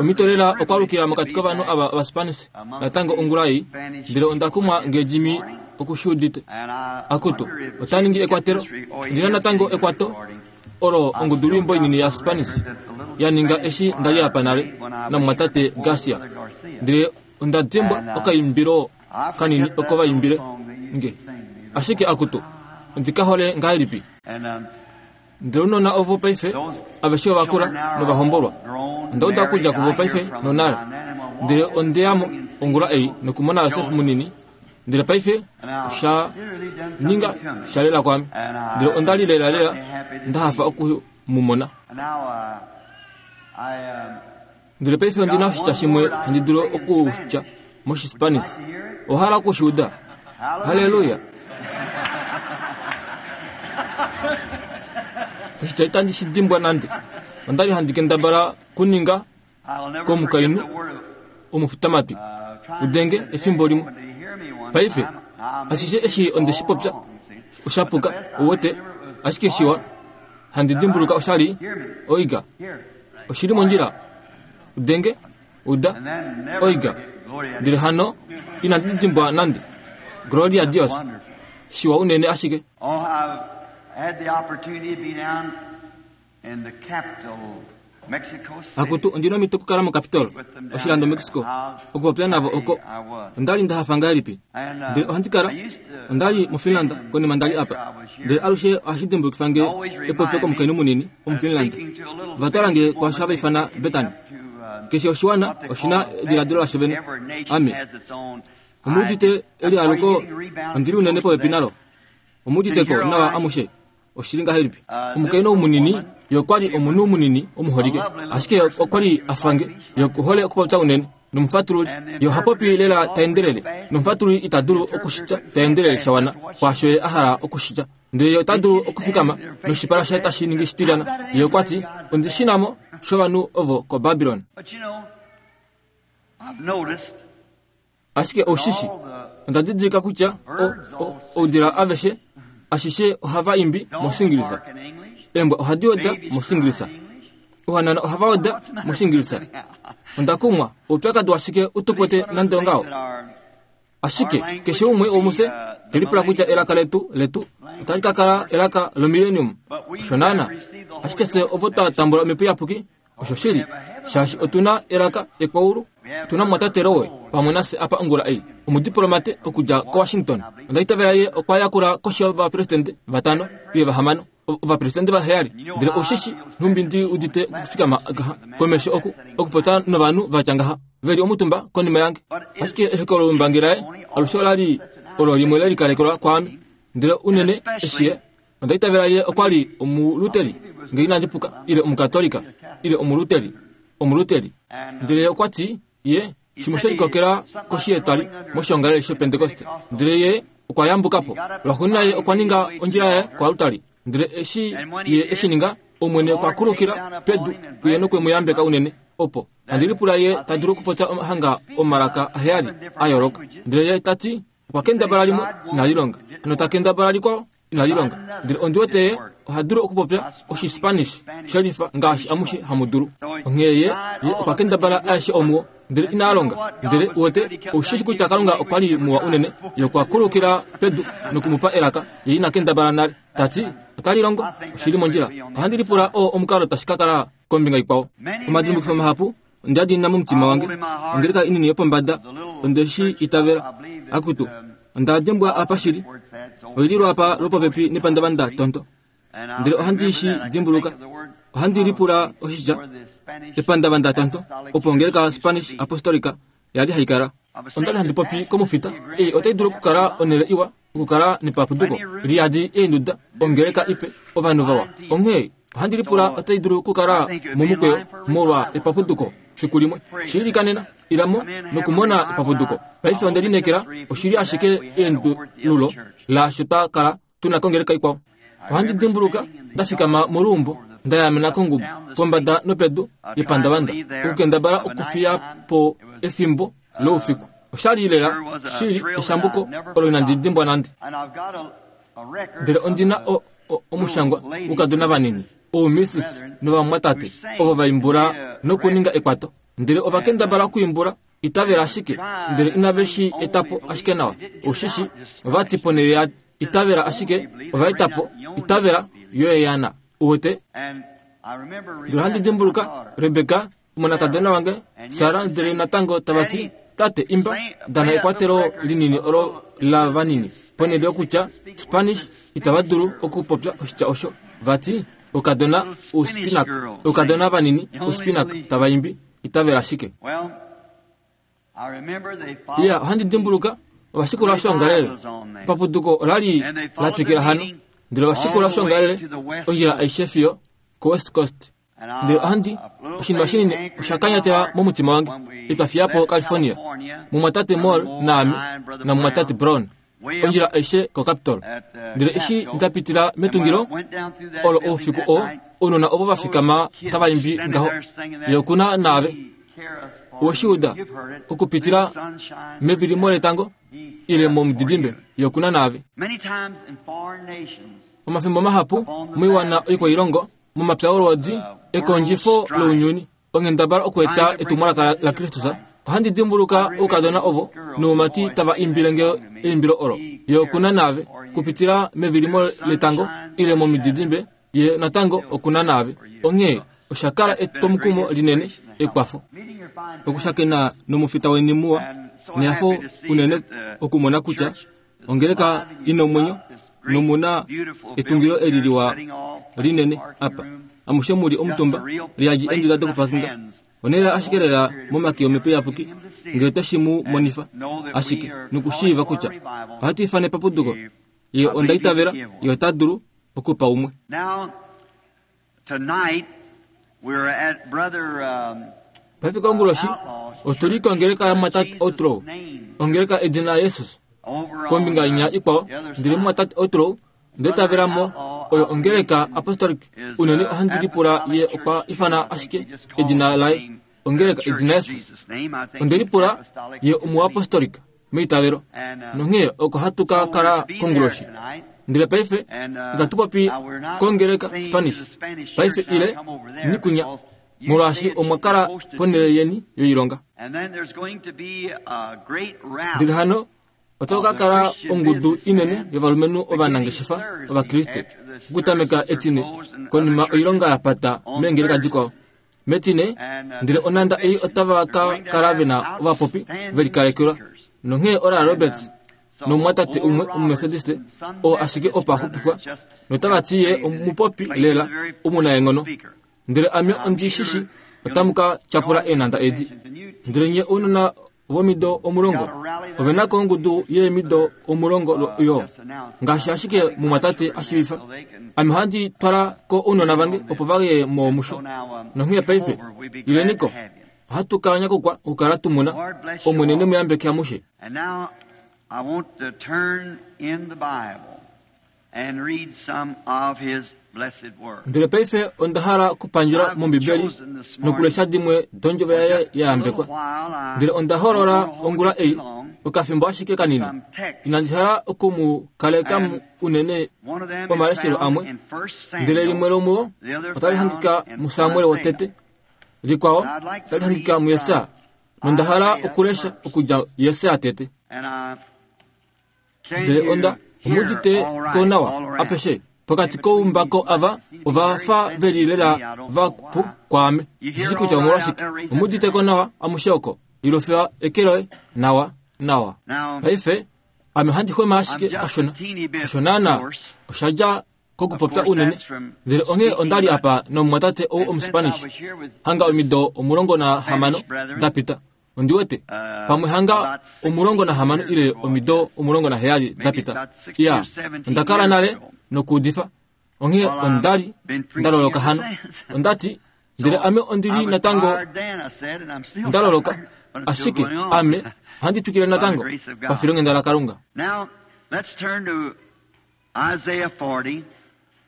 Omhito lela okwaalukila mokati kovanhu ava Ovaspanish natango ongula ei, ndele onda kumwa nge Jimmy oku shi udite. Akutu, ota ningi ekwatelo. Ondi na natango ekwato olo ongudulwiimbo inini yaSpanish ya ninga eshi nda li apa nale namumwatate Garcia. Ndele onda dimbwa okaimbilo kanini oko va imbile nge. Ashike akutu, ondi ka hole ngahelipi! Ndele ounona ovo paife aveshe ova kula nova hombolwa. Onda uda okudja kuvo paife nonale. Ndele onde ya mo ongula ei nokumona Josef munini, ndele paife osha ninga sha lela kwaame. Ndele onda li lelalela nda hafa oku mu mona. Ndele paife ondi na oshitya shimwe handi dulu okutya mOshispanish. Owa hala oku shi uda? Halleluya! Oshitya itandi shi dimbwa nande. Onda li handi kendabala kuninga komukainhu omufitamatwi udenge efimbo limwe. Paife, ashishe eshi onde shi popya osha puka, uwete, ashike shiwa. Handi dimbuluka osha li oiga. Oshi li mondjila. Udenge, uda, oiga. Ndele hano inandi dimbwa nande. Gloria Dios. Shiwa unene ashike. Oh, I've had the opportunity to be down in the capital, Mexico City. Akutu, ondi na omhito okukala moCapitol, oshilando Mexico, okupopya navo oko. Onda li nda hafa ngahelipi. Ndele ohandi kala, onda li muFinland konima nda li apa. Ndele alushe ohashi dimbulukifa nge epopyo komukainhu munini Omufinland. Ova twala nge kwaasho hava ifana Betani. Keshe oshiwana oshi na ediladilo lasho vene. Ame. Omu udite elialuko ondi li unene popepi nalo. Omu udite ko nawa amushe. Oshili ngahelipi? Omukainhu ou munini, ye okwa li omunhu munini omuholike, ashike ye okwa li a fa nge. Ye oku hole okupopya unene. Nomufatululi, ye oha popi lela ta endelele, nomufatululi ita dulu oku shi tya ta endelele sha wana kwaasho ye a hala oku shi tya. Ndele ye ota dulu okufikama noshipala shaye tashi ningi shitilyana. Ye okwa ti, Ondi shi na mo shovanhu ovo koBabilon. But you know, I've noticed Ashike oushi shi, onda didilika kutya o, o, oudila aveshe ashishe ohava imbi mOshingilisa. Eembwa ohadi oda mOshingilisa. Ouhanana ohava oda mOshingilisa. Onda kumwa, oupyakadi washike u tu kwete nande ongaho? Ashike keshe umwe womufye te lipula kutya elaka letu letu otali ka kala elaka lomillennium. Osho naana. Ashike fye ovo twa tambula Omhepo Iyapuki, Oshoshili, shaashi otu na elaka ekwaulu. Otu na mumwatate Rowe pamwe nafye apa ongula ei, omudiplomate okudja koWashington. Onda itavela ye okwa yakula koshi yovapresidente vatano ile vahamano, ovapresidente vaheyali. Ndele oushi shi nhumbi ndi udite okufikama ngaha komesho oku, okupopya novanhu va tya ngaha, ve li omutumba konima yange. Ashike ehokololombangi laye alushe ola li olo limwe le likalekelwa kwaame, ndele unene eshi ye Onda itavela ye okwa li Omuluteri, nge inandi puka, ile Omukatolika, ile Omuluteri, Omuluteri. Ndele ye okwa ti, ye, shimwe she likokela koshi yetwali moshiongalele shOpentekoste. Ndele ye okwa yambuka po. Lwaxuuninwa ye okwa ninga ondjila yaye koaltari. Ndele eshi ye e shi ninga, Omwene okwa kulukila pedu kuye nokwe mu yambeka unene, opo, handi lipula ye ta dulu okupopya hanga omalaka aheyali a yooloka. Ndele ye ta ti, Okwa kendabala limwe, inali longa. Nota kendabala likwao, inali longa. Ndele ondi wete ye oha dulu okupopya Oshispanish shelifa ngaashi amushe hamu dulu. Onghee ye, ye okwa kendabala aeshe omuo, ndele inaa longa. Ndele, uwete, ou shi shi kutya Kalunga okwa li muwa unene, Ye okwa kulukila pedu noku mu pa elaka, ye ina kendabala nale. Ta ti, Otali longo, oshi li mondjila. Ohandi lipula oo omukalo tashi ka kala kombinga ikwao. Omadimbukifo mahapu Onda diinina momutima wange, ongeleka inini yopombada, onde shi itavela. Akutu, onda dimbwa apa shili. Oi li lwaapa lwopopepi nepandavanda tonto. Ndele ohandi shi dimbuluka. Ohandi lipula oshitya epandavanda tonto, opo ongeleka Spanish Apostolica ya li hai kala. Onda li handi popi komufita, ei otai dulu okukala onhele iwa okukala nepapuduko li yadi eenduda, ongeleka ipe, ovanhu vawa. Onghee ohandi lipula otai dulu okukala momukweyo molwa epapuduko fiku limwe. Shi ilikanena, ila mo nokumona epapuduko. Paife onde lineekela oshi li ashike eendululo laasho twa kala tu na kongeleka ikwao. Ohandi dimbuluka nda fikama moluumbo nda yaamena kongubu pombada nopedu yepandavanda okukendabala okufiya po efimbo loufiku. Osha li lela shili eshambuko olo inandi dimbwa nande. Ndele ondi na o, o, omushangwa woukadona vanini. Oumissis novamwatate ovo va imbula nokuninga ekwato. Ndele ova kendabala okuimbula itavela ashike, ndele inave shi eta po ashike nawa. Oshishi, ova ti ponhele ya itavela ashike, ova eta po itavela yoeyana. Uwete? Ndele ohandi dimbuluka Rebeka, omonakadona wange, Sara, ndele natango tava ti, Tate, imba, dana ekwatelo linini olo la vanini. Ponhele yokutya Spanish, itava dulu okupopya oshitya osho. Va ti, Oukadona ouspinak, oukadona vanini ouspinak tava imbi, itavela ashike. Iya, ohandi dimbuluka ovashikula oshoongalele. Papuduko ola li la twikila hano, ndele ovashikula oshoongalele ondjila aishe fiyo koWest Coast. Ndele ohandi, oshinima shinini osha kanyatela momutima wange, etwa fiya po California, mumwatate Moore naame, namumwatate Brown, ondjila aishe koCapitol. Ndele eshi nda pitila metungilo olo oufiku oo, ounona ovo va fikama tava imbi ngaho, Ye oku na naave. Owe shi uda? Okupitila mevilimo letango ile momudidimbe, Ye oku na naave. Omafimbo mahapu moiwana oikwailongo, momapya olwoodi, ekondjifo lounyuni, onghendabala okweeta etumwalaka laKristus, ohandi dimbuluka oukadona ovo noumati tava imbile nge eimbilo olo. Ye oku na naave, kupitila mevilimo letango ile momididimbe, ye natango oku na naave. Onghee osha kala etwomukumo linene, ekwafo. Okushakena nomufita weni muwa, nehafo unene okumona kutya ongeleka i na omwenyo nomu na etungilo eli liwa linene apa. Amushe mu li omutumba, liyadi eenduda dokupakinga. Onhele ashike lela momake Omhepo Iyapuki, ngele otashi mu monifa ashike nokushiiva kutya ohatu ifana epapuduko. Ye onda itavela Ye ota dulu okupa umwe. Paife konguloshi otu li kongeleka yaMwatate Outlaw, ongeleka edina Jesus. Kombinga inya ikwao, ndele Mwatate Outlaw nde tavela mo oyo ongeleka Apostolic. Unene ohandi lipula ye okwa ifana ashike edina laye ongeleka edina Jesus. Onde lipula ye omuapostolic meitavelo. Nonghee oko hatu ka kala konguloshi. Ndele paife itatu popi kongeleka Spanish paife ile nikunya, molwaashi omwa kala ponhele yeni yoilonga. Ndele hano otava ka kala ongudu inene yovalumenhu ovanangeshefa Ovakriste okutameka Etine konima oilonga ya pata meengeleka dikwao. Metine, ndele onhanda ei otava ka kala ve na ovapopi ve likalekelwa. Nonghee Oral Roberts nomumwatate umwe Omumethodiste oo ashike opo a xupifwa, notava ti ye omupopi lela omunaenghono. Ndele ame ondi shi shi otamu ka tyapula eenhanda edi. Ndele nye ounona vomido 10 ove na ko ongudu yeemido 10 yo, ngaashi ashike mumwatate a shiivifa. Ame ohandi twala ko ounona vange opo va ye mo musho. Nonghee paife, ileni ko. Ohatu ka nyakukwa okukala tu mu na. Omwene ne mu yambeke amushe. Ndele paife onda hala okupandjela mOmbibeli nokulesha dimwe dOndjovo yaye ya yambekwa. Ndele onda hoolola ongula ei, okafimbo ashike kanini. Inandi hala oku mu kaleka unene omaleshelo amwe. Ndele limwe lomuo otali hangika muSamuel wotete, likwao otali hangika muJesaja. Nonda hala okulesha okudja Jesaja tete. Ndele onda omudite ko nawa apeshe pokati koumbako ava ova fa ve li lela va pu kwaame. Ndishi kutya omolwashike. Omudite ko nawa amushe oko. Ilufiwa eke loye nawa nawa. Paife ame ohandi xwema ashike kashona. Osho naana osha dja kokupopya unene. Ndele onghee onda li apa nomumwatate ou Omuspanish hanga omido 16 da pita. Ondi wete pamwe hanga 16 ile omido 17 da pita. Iya, onda kala nale nokuudifa. Onghee onda li nda loloka hano. Onda ti, ndele ame ondi li natango nda loloka, ashike ame ohandi twikile natango pafilonghenda laKalunga.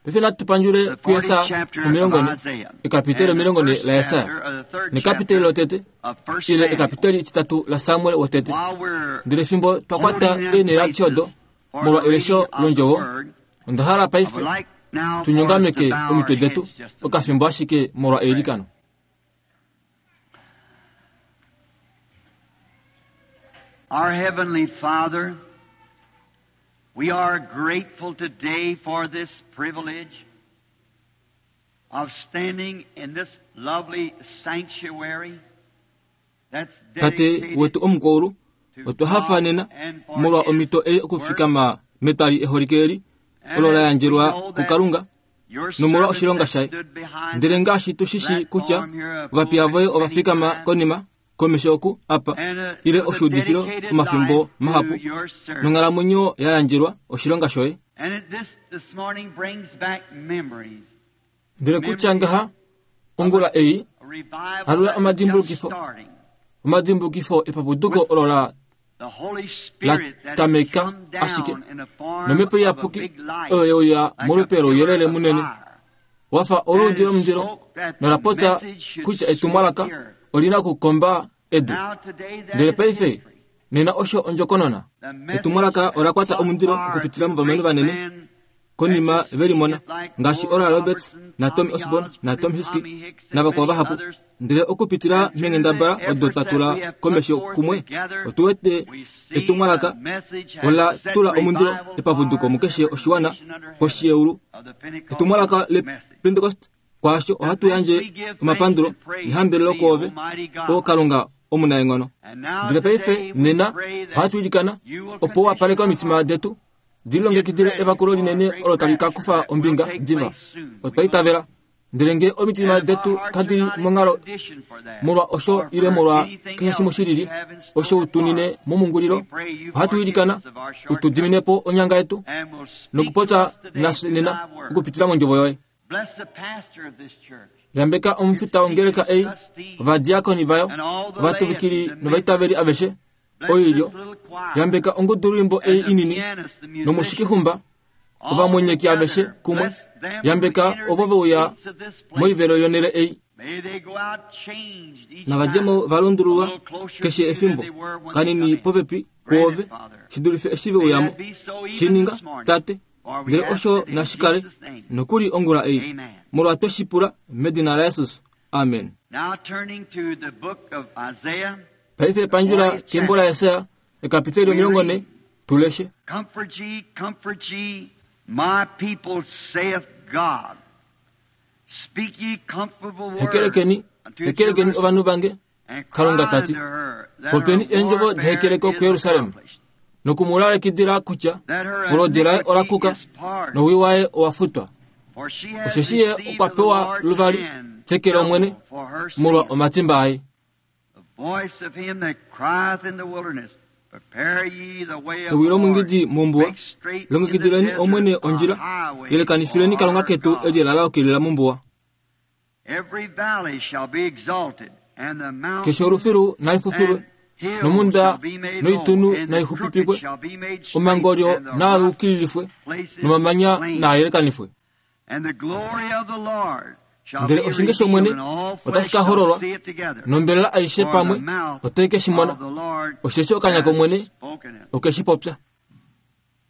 Paife natu pandjule kuJesaja 40, ekapiteli 40 laJesaja, nekapiteli lotete, ile ekapiteli etitatu laSamuel wotete. Ndele fimbo twa kwata eenhele adishe odo molwa elesho londjovo, onda hala paife Tunyongameke omitwe detu okafimbo ashike molwa eilikano. Our Heavenly Father, we are grateful today for this privilege of standing in this lovely sanctuary that's Tate dedicated wetu omukulu, to otwa hafa nena God and for molwa His omhito ei work. okufikama metwali eholike eli And olo la as we yandjelwa know that kuKalunga your nomolwa servants oshilonga that shaye. stood behind Ndele this ngaashi tu shi shii kutya platform here a ovapiya voye pulpit ova many fikama times, konima komesho oku apa and, ile with a oshuudifilo dedicated omafimbo life to mahapu your service. nonghalamwenyo ya yandjelwa oshilonga shoye. And this morning brings back memories. Ndele kutya ngaha ongula ei A revival Alula that was just amadimbulukifo. starting. omadimbulukifo epapuduko olo la The Holy Spirit that had tameka come down ashike in the form nomhepo of a iyapuki big light, oyo yeuya like a molupe pillar louyelele of munene fire. wafa oluudi lomundilo And it spoke that the nola popya message should kutya sweep etumwalaka the earth. olina okukomba edu. Now today that Ndele is paife history. nena osho ondjokonona. The message Etumwalaka ola kwata caught omundilo fire okupitila through movalumenhu great vanene men konima that you ve limona see it like ngaashi Oral Oral Roberts Robertson, na Tommy Tommy Osborn na Osborn Tom and Hickey Tommy Hicks and navakwao many vahapu. others. Ndele okupitila And through meenghendabala the odo efforts twa that tula we have put komesho forth kumwe together, otu wete we see etumwalaka the message has ola set tula omundilo revival epapuduko fire mukeshe to every oshiwana nation under heaven koshiyeulu. of the Pentecostal Etumwalaka message. lePentecost kwaasho ohatu yandje omapandulo nehambelelo kwoove o Kalunga omunaenghono. And now Ndele paife today we nena pray that ohatu ilikana you will opo condition wapaleke our omitima hearts detu dilongekidile evakulo linene olo tali ka kufa ombinga diva. Otwa itavela ndele ngee omitima detu kadi li monghalo molwa osho ile molwa keshe shimwe shilili osho utunine momungulilo, ohatu ilikana utu dimine po onyanga yetu nokupopya nafye nena okupitila mondjovo yoye. Yambeka omufita wongeleka ei, ovadiakoni vayo, ovatuvikili novaitaveli aveshe oilyo. Yambeka ongudulwimbo ei inini nomushikihumba ovamwenyeki aveshe kumwe. Yambeka ovo veuya moivelo yonele ei. Navadjemo valundululwa keshe efimbo kanini popepi kwoove shidulife eshi veuyamo. Shininga tate ndele osho nashikale nokuli ongula ei molwa tweshipula medina laJesus. Amen. Now turning to the book of Isaiah, Paife pandjula kembo laJesaja ekapiteli 40 tuleshe. Comfort ye, my people, saith God. Speak ye comfortable words Hekelekeni, unto hekelekeni Jerusalem, ovanhu vange, and cry Kalunga ta ti. unto her that Popeni her eendjovo warfare dehekeleko is kuJerusalem, accomplished, nokumulalikidila kutya that her olodi laye ola iniquity kuka is pardoned, nowii waye owa futwa. for she has Osheshi ye received okwa of the pewa Lord's luvali hand teke lOmwene double for her molwa sin. omatimba aye. The voice of him that crieth in the wilderness, prepare ye the way of Ewi the Lord, lomungidi mombuwa, make straight in the longekidileni desert Omwene a ondjila, highway yelekanifileni for Kalunga our ketu God. eli la laukilila mombuwa. Every valley shall be exalted, and the mountains Keshe olufilu nalifufilwe, and hills nomunda shall be made low, noitunu and the naixupipikwe, crooked shall be made straight, omangolyo and the naa rough yukililifwe, places nomamanya plain. naa yelekanifwe. And the glory of the Lord shall Ndele be oshinge revealed, shOmwene and all otashi flesh ka shall hololwa, see it together. nombelela aishe For pamwe the mouth otai ke shi mona, of the Lord osheshi okanya has kOmwene spoken it. oke shi popya.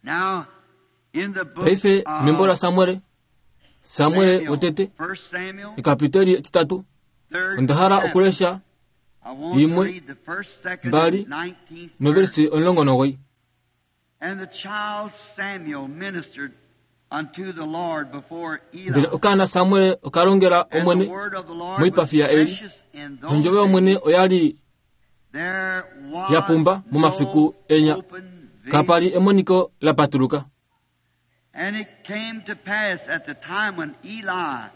Now, in the book Paife of membo laSamuel, Samuel Samuel, wotete First Samuel, ekapiteli etitatu, third onda hala chapter. okulesha I want to imwe, read the first, second, mbali, and 19th verse. noversi 19. And the child Samuel ministered unto the Lord before Eli. Ndele okaana Samuel okalongela And the Omwene word of the Lord was moipafi yaEli, precious in those nondjovo yOmwene days. oya li There was ya pumba momafiku no enya. open vision. Kapa li emoniko la patuluka. And it came to pass at the time when Eli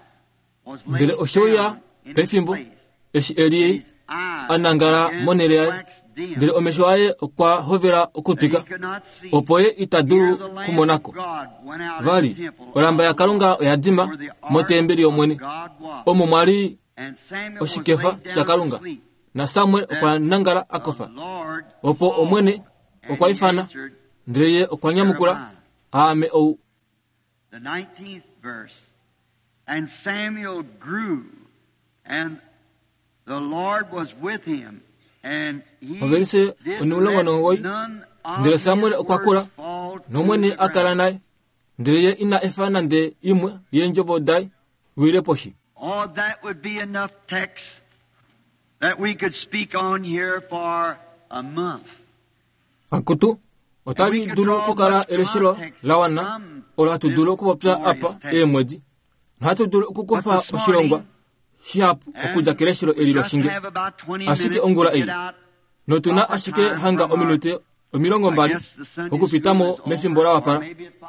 was laid Ndele oshe uya down in his pefimbo place, eshi Eli his eyes a nangala began monhele to yaye, wax dim, ndele omesho aye okwa hovela that he okutwika, could not see. opo ye ita Here dulu the lamp kumonako. of God went out in Vali the temple olamba of ya the Kalunga Lord, oya dima where the ark motembeli of yOmwene, God was. omo mwa li And Samuel was oshikefa laid down sha to Kalunga. sleep. Na Samuel okwa nangala a The kofa. Lord Opo called, Omwene and okwa he ifana, answered, ndele ye okwa nyamukula, Aame ou. The 19th verse. And Samuel grew, and the Lord was with him, and he Ovelise did 19, let none of ndele his Samuel okwa kula, words fall to nOmwene the a kala ground. naye, Ndele ye ina efa nande imwe yeendjovo daye wile poshi. Oh, that would be enough text that we could speak on here for a month. Akutu, otali dulu okukala eleshelo la wana olo hatu dulu okupopya apa eemwedi. Nohatu dulu okukufa oshilongwa shihapu okudja keleshelo eli loshinge. Ashike ongula ei, notu na ashike hanga ominute 20 okupita mo mefimbo la wapala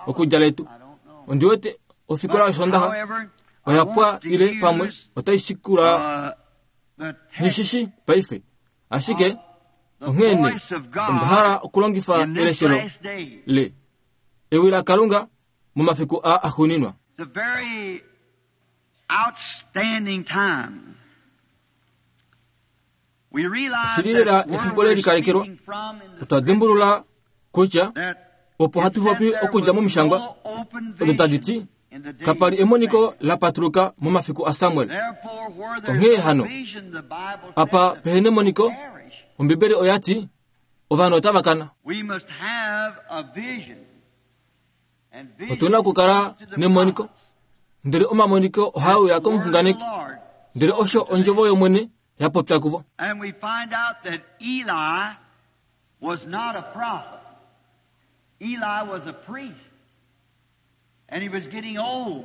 okudja letu. Ondi wete ofikola yOsoondaxa oya pwa ile pamwe otai shikula nghishishi paife. Ashike onghee nee onda hala okulongifa eleshelo le ewi laKalunga momafiku aa axuuninwa. It's a very outstanding time. We realize Oshili lela that where efimbo we're le likalekelwa. speaking from in the Otwa dimbulula kutya that opo hatu popi okudja momishangwa no open odo tadi ti vision in the days kapa li of emoniko Samuel. la patuluka momafiku aSamuel. Therefore, where there's Onghee no hano, vision, the Bible apa says the pehena emoniko, people perish. Ombibeli oya ti ovanhu otava kana. We must have a vision. And vision Otu na okukala comes to the nemoniko. prophets. Ndele omamoniko ohaa uya That's the word of the komuxunganeki. Lord. Ndele osho ondjovo yOmwene ya popya kuvo. And we find out that Eli was not a prophet. Eli was a priest. And he was getting old.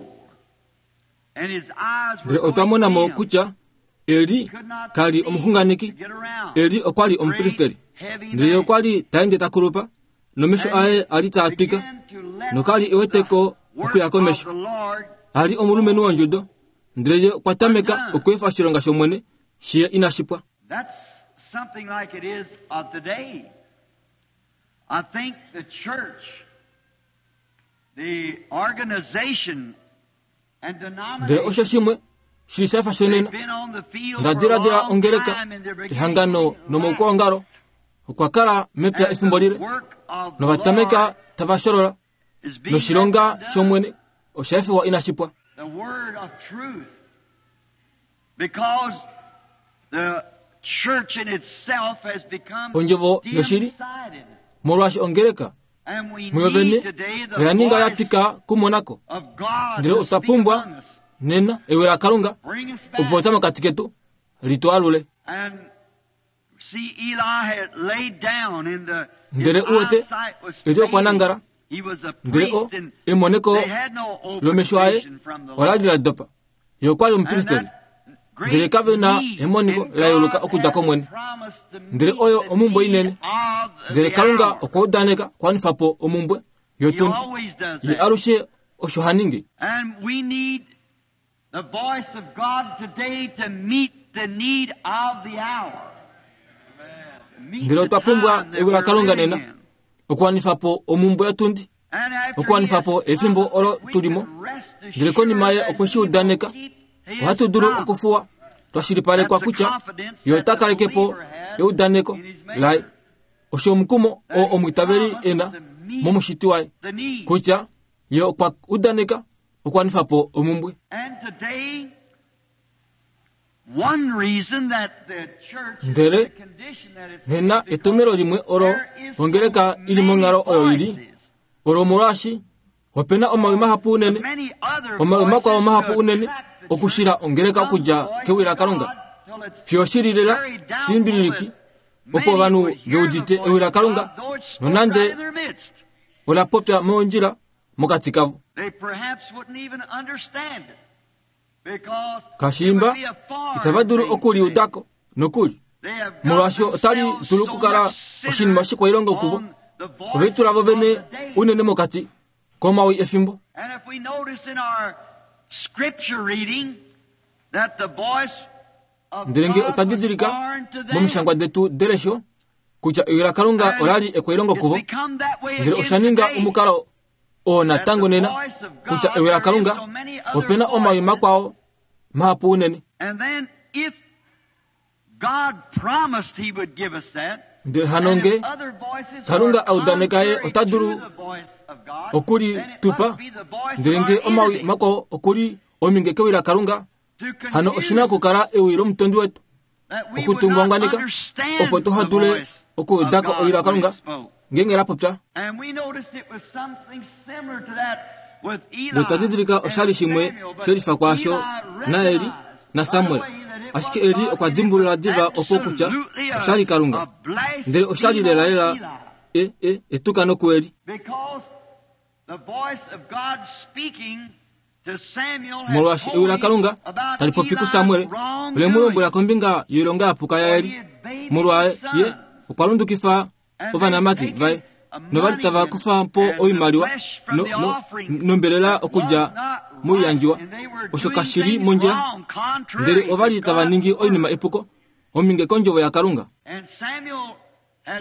And his eyes were Ndele otwa going mona mo dim. kutya Eli He could not ka li see omuxunganeki. to get around. Eli okwa li omupristeri. Great, heavy Ndele man. okwa li ta ende ta kulupa, nomesho aye a li taa twika, Began to let noka li e weteko the okuya work komesho. of the Lord A li omulumenhu wondjudo, ndele ye okwa tameka okweefa oshilonga shOmwene shiye inashi pwa. That's something like it is of today. I think the church, the organization and Ndele denomination, osho shimwe shili sha fa shonena. they've been on the field Nda for a diladila long ongeleka, time and they're beginning ehangano to lack. nomaukwaongalo okwa kala mepya And efimbo the lile, work of the nova tameka Lord tava sholola, is being noshilonga left undone. shOmwene osha efiwa inashi pwa. The word of truth. Because the church in itself has become Ondjovo yoshili, dim-sighted. molwaashi ongeleka And we muyo need vene today the oya ninga ya voice twika kumonako. of God Ndele to otwa speak pumbwa among us. nena ewi laKalunga Bring us opo back. ta mokati ketu li tu alule. And see, Eli had laid down in the his Ndele u wete, eyesight was Eli okwa fading. nangala, He was a ndele o priest and emoneko they had no open lomesho aye vision from the ola li Lord. la dopa. Ye okwa li And omupristeri. that great Ndele kave na need, emoniko and la yeuluka God okudja had kOmwene. promised to Ndele meet oyo the omumbwe need inene. of Ndele the Kalunga hour. okwa udaneka kwanifa po omumbwe He yotundi. always does Ye that. alushe osho ha ningi. And we need the voice of God today to meet the need of the hour. Meet Ndele the otwa pumbwa time that ewi we're laKalunga living nena in. okuwanifa po omumbwe yotundi. And after Okuwanifa he po has efimbo promised, olo we tuli mo. can rest Ndele konima ye assured okwe shi that he will udaneka, keep his ohatu dulu promise. okufuwa twashilipalekwa That's the kutya confidence ye that ota the kaleke po believer has eudaneko in his maker. laye. Osho omukumo oo That he omwiitaveli promised e na to meet momushiti waye the need. kutya ye okwa udaneka okuwanifa po omumbwe. And today, one reason that the church is in Ndele the condition that it's in nena is because etomhelo limwe olo there is so ongeleka ili many monghalo oyo ili voices, olo omolwaashi opena omawi mahapu unene many other omawi makwao voices mahapu to unene attract the church okushila ongeleka from the okudja voice kewi of laKalunga God till it's fiyo shili lela very doubtful shimbililiki that opo many ovanhu would ve hear the udite voice ewi of laKalunga God, though it spoke right nonande in their midst. ola popya mondjila mokati kavo. They perhaps wouldn't even understand it because it Kashiimba would be a foreign itava dulu thing to them. okuliudako nokuli They have got molwaashi otali themselves dulu so okukala much oshinima centered shikwailongo kuvo. on the voice Oveitula vo of the vene day. unene mokati komawi efimbo. And if we notice in our scripture reading that the voice of Ndele nge God otwa was didilika foreign to them. momishangwa detu delesho kutya ewi laKalunga And ola li ekwailongo it's kuvo. become that way Ndele again osha ninga today. omukalo oo That natango the nena voice of kutya God, ewi there is laKalunga so many other opena omawi voices. makwao mahapu unene. And then if God promised he would give us that, Ndele hano and nge if other voices Kalunga are a udaneka ye contrary ota to dulu the voice of God, okuli then it tupa must be the voice ndele of nge our omawi enemy makwao okuli ominge kewi laKalunga to hano oshina confuse okukala ewi lomutondi wetu that we would not okutungwangwaneka understand opo tuha the dule voice of okuudako God ewi when laKalunga it spoke. ngeenge la popya. And we noticed it was something similar to that Ndele otwa didilika oshali shimwe she lifa kwaasho naEli naSamuel. Ashike Eli okwa dimbulula diva opo kutya oshali Kalunga. Ndele oshali lelalela etukano kuEli. Molwaashi ewi laKalunga tali popi kuSamuel, ole mu lombwela kombinga yoilonga ya puka yaEli. Molwa ye okwa lundukifa ovanamati vaye novali tava kufa po oimaliwa nombelela okudja moiyandjiwa. Osho kashi li mondjila, ndele ova li tava ningi oinima epuko, ominge kondjovo yaKalunga.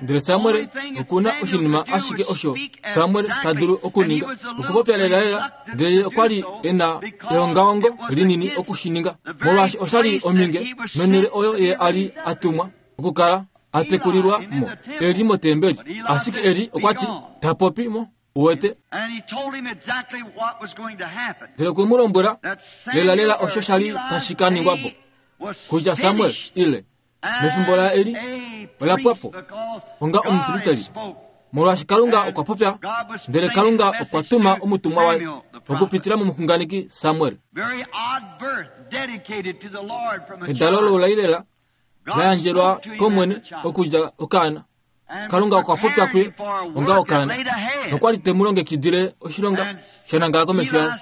Ndele Samuel oku na oshinima ashike osho Samuel ta dulu okuninga, okupopya lelalela, ndele ye okwa li e na eongaongo linini oku shi ninga, molwaashi osha li ominge nonhele oyo ye a li a tumwa okukala a tekulilwa mo, e li motembeli. Ashike Eli okwa ti, Ta popi mo, uwete. Ndele okwe mu lombwela lelalela osho sha li tashi ka ningwa po, kutya Samuel ile mefimbo laEli ola pwa po onga omupristeli, molwaashi Kalunga okwa popya, ndele Kalunga okwa tuma omutumwa waye okupitila momuxunganeki Samuel. Edalo loulai lela la yandjelwa kOmwene okudja okaana. Kalunga okwa popya kuye onga okaana, nokwa li te mu longekidile oshilonga sha nangala komesho yaye.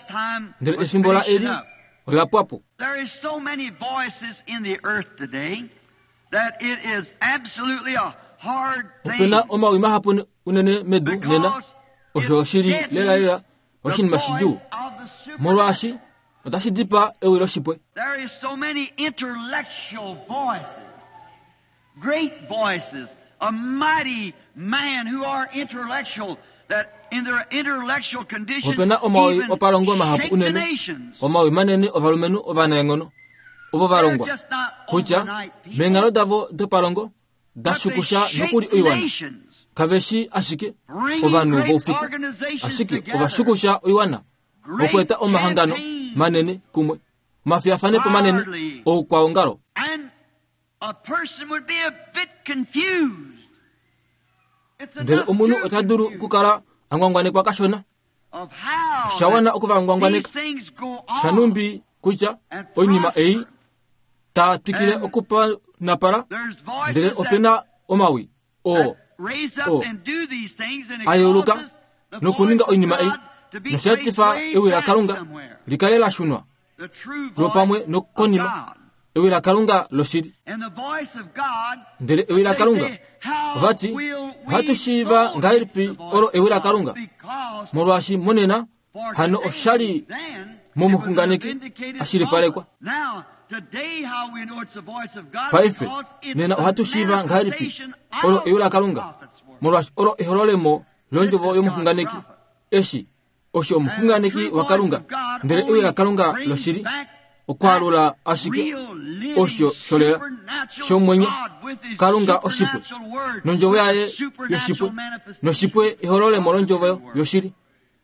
Ndele efimbo laEli ola pwa po. There is so many voices in the earth today that it is absolutely a hard Ope na thing omawi mahapu unene medu nena, because osho it shi li lelalela deadens the oshinima voice shidjuu, of the molwaashi supernatural. otashi dipaa ewi loshipwe. There is so many intellectual voices, great voices, a mighty man who are intellectual that in their intellectual condition Ope na omawi even opalongo mahapu shake the unene, nations. omawi manene ovalumenhu ovanaenghono, ovo va They're longwa just not kutya overnight people, meenghalo davo dopalongo da but they shukusha shake nokuli the oiwana. nations, Kave shi ashike bringing ovanhu great voufiku, organizations ashike together, ova shukusha oiwana great okweeta omahangano campaigns, manene kumwe, omafiyafanepo manene hardly. oukwaongalo. And a person would be a bit confused. It's Ndele enough omunhu to ota dulu confuse okukala a ngwangwanekwa kashona, of how osha that wana oku va these ngwangwaneka. things go on Shanumbi kutya and oinima ei prosper. ta twikile And okupanapala, there's ndele voices ope that, na omawi oo that raise oo up and do these things, and it a yeuluka causes the nokuninga voice of oinima ei, God to be nosha traced etifa way ewi back laKalunga somewhere. likale la shunwa The true lwopamwe voice of nokonima, God. ewi laKalunga loshili. And the voice of God, Ndele ewi they laKalunga say, how ovati will ohatu we shiiva know it's ngahelipi the voice olo of ewi God? laKalunga, Because molwaashi monena for hano today, oshali then, it was an momuxunganeki vindicated a shilipalekwa. prophet. Now, today how we know it's the voice of God, Paife because it's nena the ohatu shiiva ngahelipi manifestation olo of ewi the laKalunga, prophet's word. molwaashi olo ehololemo This londjovo is God's yomuxunganeki. prophet. Eshi osho And the omuxunganeki true voice waKalunga, of God ndele ewi only laKalunga brings loshili back that okwaalula ashike real, living, osho sholela supernatural shomwenyo God with His Kalunga oshipwe supernatural word, nondjovo with yaye His supernatural yoshipwe manifestation noshipwe ehololemo of the londjovo true word. yoshili.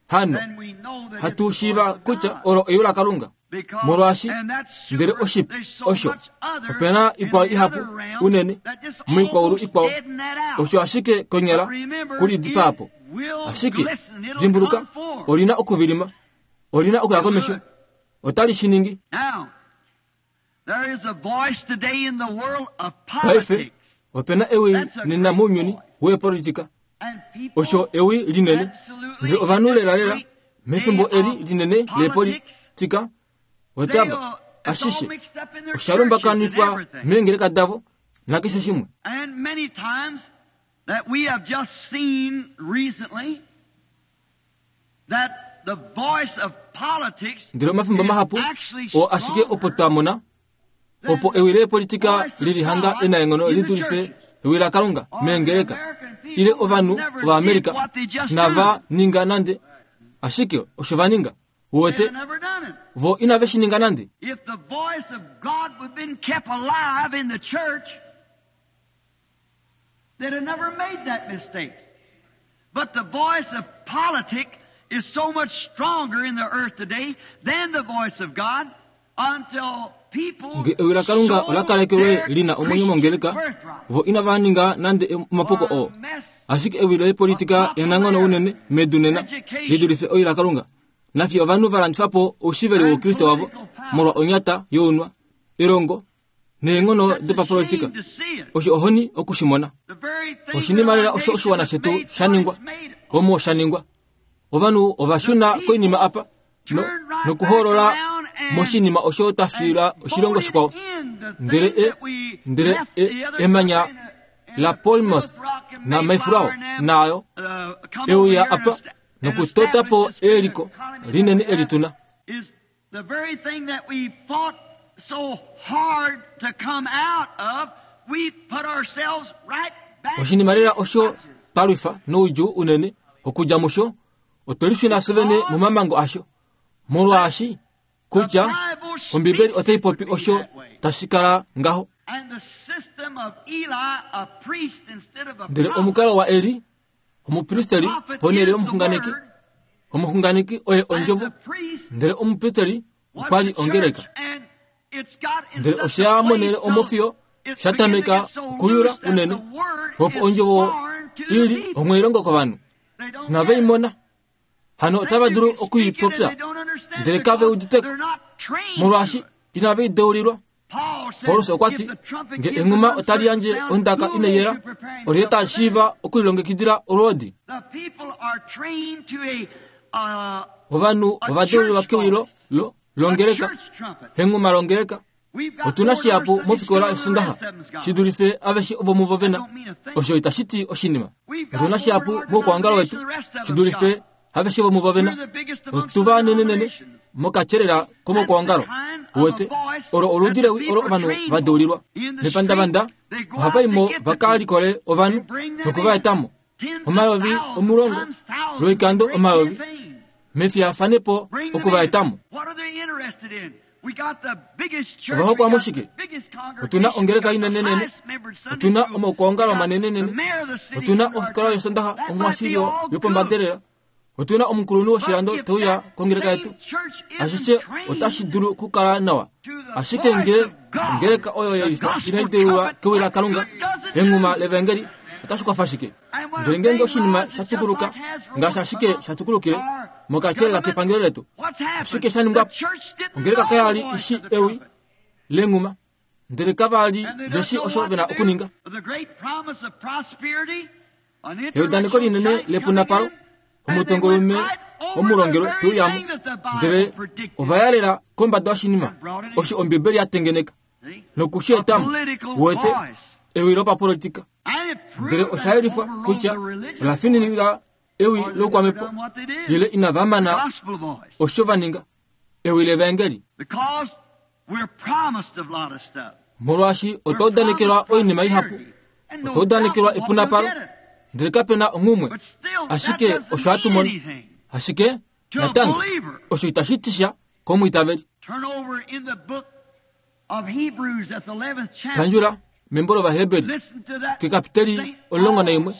Hano Then we know that it's hatu the voice shiiva of kutya God. olo ewi laKalunga, Because, molwaashi and that's ndele super, oshipwe there's so osho much other ope na in ikwao the ihapu other realm unene that just moikwaulu almost ikwao, deaden that out. osho ashike konyala But remember, kuli dipaapo. it will Ashike glisten, it'll dimbuluka, come forth. olina okuvilima, olina okuya It'll do komesho, it. otali shi ningi. Now, there is a voice today in the world of Paife politics. ope na ewi That's a nena great mounyuni voice. weepolitika, And people osho ewi linene, absolutely ndele in ovanhu this lelalela great day mefimbo eli of linene politics, leepolitika otava they'll, it's all ashishe mixed up in their osha churches and lumbakanifwa everything. meengeleka davo nakeshe shimwe. And many times that we have just seen recently that the voice of politics Ndele omafimbo is mahapu actually oo ashike opo stronger twa mona than opo the ewi leepolitika voice of lili hanga God enaenghono in li the dulife churches. ewi laKalunga Or the meengeleka, American ile people ovanhu never did Ovaamerica what they just nava do. ninga nande, ashike osho va ninga. Uwete They've never done it. vo inave shi ninga nande. If the voice of God would have been kept alive in the church, they'd have never made that mistake. But the voice of politics is so much stronger in the earth today than the voice of God until people Nge ewi laKalunga ola sold kalekelwe their lina omwenyo Christian mongeleka, birthright vo inava ninga nande omapuko for oo. a mess Ashike ewi of leepolitika enanghono unene popularity, medu nena li education, dulife ewi laKalunga. Nafye ovanhu va landifa po oushiveli wOukriste wavo molwa onyata younwa, elongo neenghono dopapolitika. Osho ohoni oku shi mona. Oshinima lela osho oshiwana shetu sha ningwa, omo sha ningwa. Ovanhu ova shuna koinima apa no, nokuhoolola moshinima osho twa fiila oshilongo shikwao. Ndele e, ndele e, emanya laPlymouth naMayflower naayo e uya apa nokutota po eliko linene eli tu na. The very thing that we fought so hard to come out of, we put ourselves right back Oshinima lela osho twa lwifa noudjuu unene okudja musho, otwe lishuna fye vene momamango asho, molwaashi kutya Ombibeli otai popi osho tashi kala ngaho. And the system of Eli, a priest instead of a Ndele prophet. omukalo waEli, omupristeli ponhele yomuxunganeki, omuxunganeki oye ondjovo, ndele omupristeli okwa li ongeleka. Ndele osha ya monhele omo fiyo sha tameka okuyula unene, opo ondjovo i li onghweilongo kovanhu. Inave i mona. Hano otava dulu oku i popya, ndele kave udite ko, molwaashi inave i deulilwa. Paulus okwa ti, Nge enghuma otali yandje ondaka inai yela, olyelye ta shiiva okulilongekidila olwoodi? Ovanhu ova deulilwa kewilo lo, longeleka, enghuma longeleka. Otu na shihapu mofikola yOsondaxa shi dulife aveshe ovo muvo ve na. Osho itashi ti oshinima. Otu na shihapu moukwaongalo wetu shi dulife aveshe vomuvo ve na. Otu va nenenene mokatyelela komoukwaongalo. Uwete, olo oludi lewi olo ovanhu va deulilwa. Mepandavanda ohava i mo va ka likole ovanhu noku va eta mo. 10,000 lwoikando omayovi mefiyafanepo oku va eta mo. Ova hokwa mushike? Otu na ongeleka inenenene, otu na omaukwaongalo manenenene, otu na ofikola yOsondaxa omwashilyo yopombadelela, otu na omukulunhu woshilando te uya kongeleka yetu. Ashishe otashi dulu okukala nawa, ashike nge ongeleka oyo ye lifa inai deulwa kewi laKalunga, enghuma levangeli, otashi kwafa shike? Ndele ngeenge oshinima sha tukuluka ngaashi ashike sha tukulukile mokatyelela kepangelo letu, oshike sha ningwa po? Ongeleka kaya li i shii ewi lenghuma, ndele kava li ve shii osho ve na okuninga. Eudaneko linene lepunapalo, omutongolume womulongelwe te uya mo, ndele ova yalela kombada yoshinima osho Ombibeli ya tengeneka noku shi eta mo. Uwete, ewi lopapolitika. Ndele osha yelifwa kutya ola fininika ewi loukwamhepo ile inava mana osho va ninga, ewi levaengeli. Molwaashi otwa udanekelwa oinima ihapu, otwa udanekelwa epunapalo, ndele kape na onghumwe. Ashike osho hatu mono. Ashike, natango, osho itashi ti sha komwiitaveli. Pandjula membo lOvaheberi kekapiteli 11,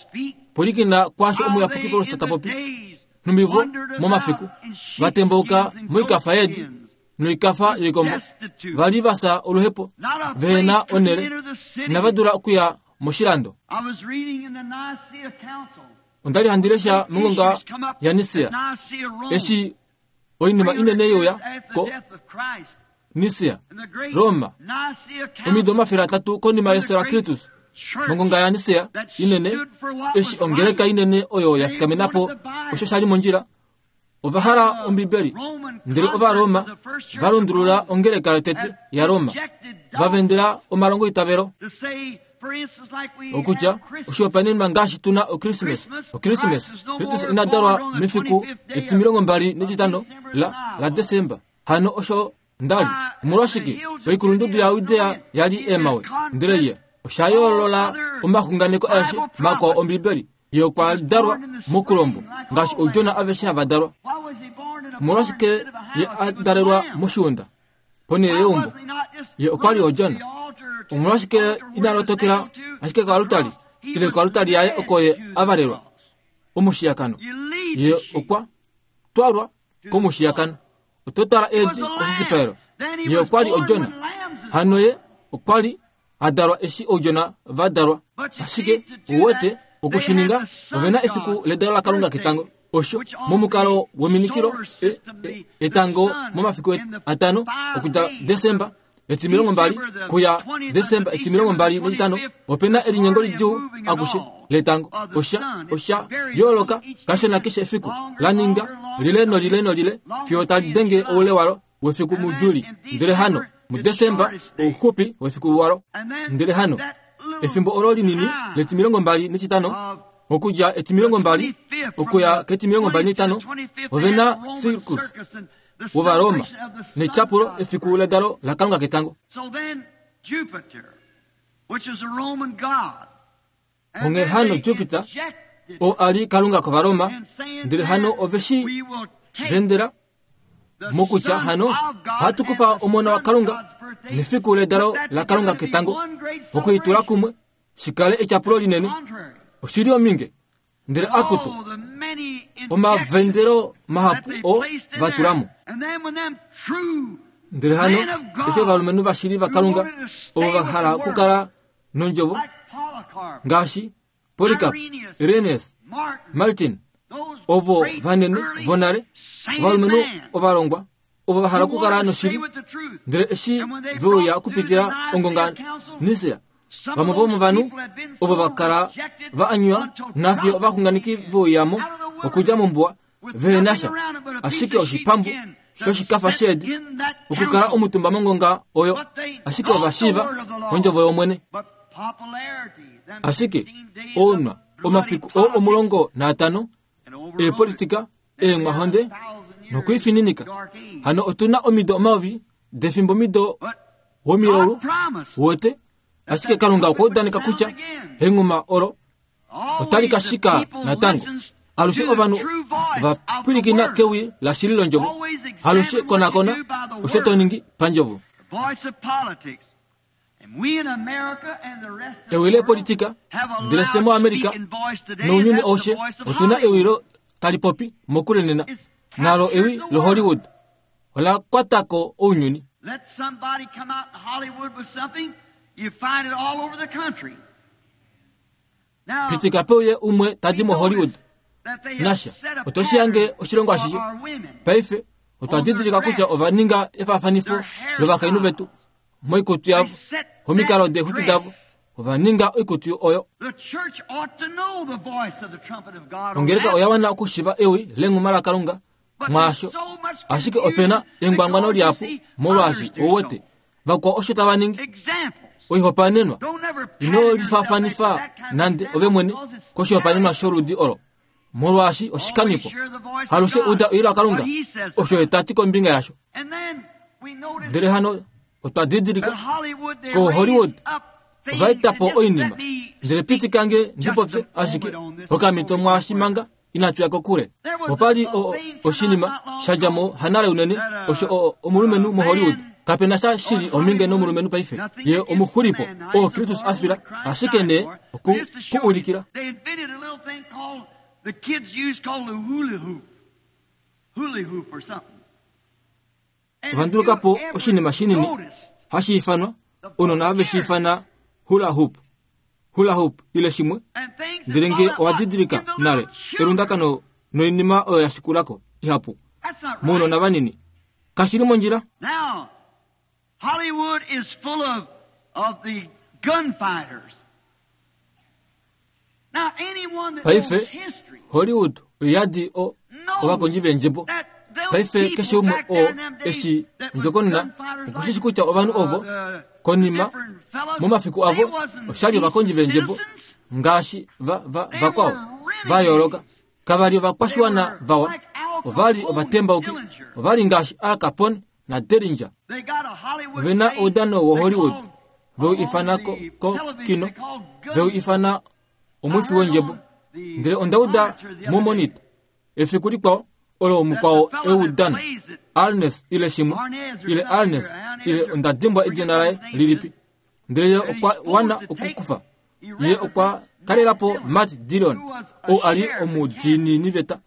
pwilikina kwaasho omuyapuki Paulus ta popi. Nhumbi vo momafiku va tembauka moikafa yeedi noikafa yoikombo, va li va fya oluhepo, vehe na onhele, inava dula okuya moshilando. Onda li handi lesha mongonga yaNisea, eshi oinima inene ye uya ko Nisea, Roma, omido 300 konima yefyo laKristus, mongonga yaNisea inene, eshi ongeleka inene oyo ya fikamena po osho sha li mondjila, ova hala Ombibeli, ndele Ovaroma va lundulula ongeleka yotete yaRoma, va vendela omalongoitavelo. Okutya, oshihopaenenwa ngaashi tu na Okrismes, Okrismes, Kristus ina dalwa mefiku etimilongo mbali netitano la, laDesemba. Hano osho nda li. Omolwashike oikulundudu yaJudea ya li eemhawe? Ndele ye osha yoolola omaxunganeko aeshe makwao Ombibeli. Ye okwa dalwa mokulombo, ngaashi oudjona aveshe hava dalwa. Omolwashike ye a dalelwa moshiunda? Ponhele yeumbo. Ye okwa li odjona. Omolwashike ina lotokela ashike koalutali, ile koalutali yaye oko ye a valelwa? Omushiyakano. Ye okwa twalwa komushiyakano. Oto twala eedi koshidipaelo. Ye okwa li odjona. Hano ye okwa li a dalwa eshi oudjona va dalwa. Ashike, ou wete, oku shi ninga, ove na efiku ledalo laKalunga ketango. Osho momukalo weminikilo etango momafiku 5 okudja Desemba 20 kuya Desemba 25, opena elinyengo lidjuu akushe letango. Osha yooloka kashona keshe efiku, la ninga lile nolile nolile fiyo tali denge oule walo wefiku muJuli. Ndele hano muDesemba ouxupi wefiku walo. Ndele hano efimbo olo linini le25 okudja 20 okuya ke25, ovena circus wOvaroma netyapulo efiku ledalo laKalunga ketango. Onghee hano Jupiter oo a li kalunga kOvaroma, ndele hano ove shi vendela mokutya hano ohatu kufa omona waKalunga nefiku ledalo laKalunga ketango okuitula kumwe shikale etyapulo linene. Oshili ominge. Ndele akutu omavendelo mahapu o va tula mo. Ndele hano eshi ovalumenhu vashili vaKalunga ovo va hala okukala nondjovo ngaashi Polycarp, Irenaeus, Martin, ovo vanene vonale, ovalumenhu ovalongwa ovo va hala okukala noshili, ndele eshi ve uya okupitila ongonga Nicea, vamwe vomovanhu ovo va kala va anywa nafiyo ovaxunganeki ve uyamo okudja mombuwa vehe na sha ashike oshipambu shoshikafa sheedi okukala omutumba mongonga oyo, ashike ova shiiva ondjovo yOmwene. Ashike ounwa omafiku oo 15 eepolitika, eemwahonde nokuifininika. Hano otu na omido 1000 defimbo mido womilaulu wote, ashike Kalunga okwa udaneka kutya enghuma olo otali ka shika natango. Alushe ovanhu va pwilikina kewi lashili londjovo. Alushe konakona osho to ningi pandjovo. Ewi lepolitika, ndele fye moAmerica nounyuni aushe otu na ewi lo tali popi mokule nena, nalo ewi loHollywood ola kwata ko ounyuni. Pitika peuye umwe ta di moHollywood nasha, oto shi hange oshilongo ashishe. Paife otwa didilika kutya ova ninga efaafanifo lovakainhu vetu moikutu yavo, omikalo deexwiki davo, ova ninga oikutu oyo. Ongeleka oya wana okushiva ewi lenghuma laKalunga mwaasho, ashike ope na engwangwano lihapu molwaashi ou wete vakwao osho tava ningi. Oihopaenenwa, ino lifaafanifa nande ove mwene koshihopaenenwa sholudi olo, molwaashi oshikanipo. Alushe uda ewi laKalunga, osho ye ta ti kombinga yasho. Ndele hano otwa didilika koHollywood ova eta po oinima. Ndele pitika nge ndi popye ashike okamhito mwaashi manga inatu ya kokule. Opa li oshinima sha dja mo hanale unene, osho omulumenhu moHollywood. Kape na sha shili ominge nomulumenhu paife. Ye omuxulipo oo Kristus a fila, ashike nee oku ku ulikila. Ova nduluka po oshinima shinini hashi ifanwa, ounona have shi ifana hula hoop, hula hoop ile shimwe. Ndele nge owa didilika nale elundakano noinima oyo ya shikula ko ihapu mounona vanini, kashi li mondjila. Now, Hollywood is full of the gunfighters. Paife, Hollywood oyadi o ovakondji veendjebo. Paife keshe umwe oo eshi ondjokonona okushishi kutya ovanhu ovo konima momafiku avo oshali ovakondji veendjebo ngaashi vakwao va yooloka. Kava li ovakwashiwana vawa, ova li ovatembauki, ova li ngaashi Al Capone naDellinger. Ove na oudano woHollywood veu ifana ko, ko kino, veu ifana omwifi wondjebo. Ndele onda uda momonit efiku likwao olo mukwao eudano Arnes ile shimwe ile Arnes ile onda dimbwa edina laye lilipi. Ndele ye okwa wana okukufa. Ye okwa kalela po Matt Dillon ou a li omudiinini veta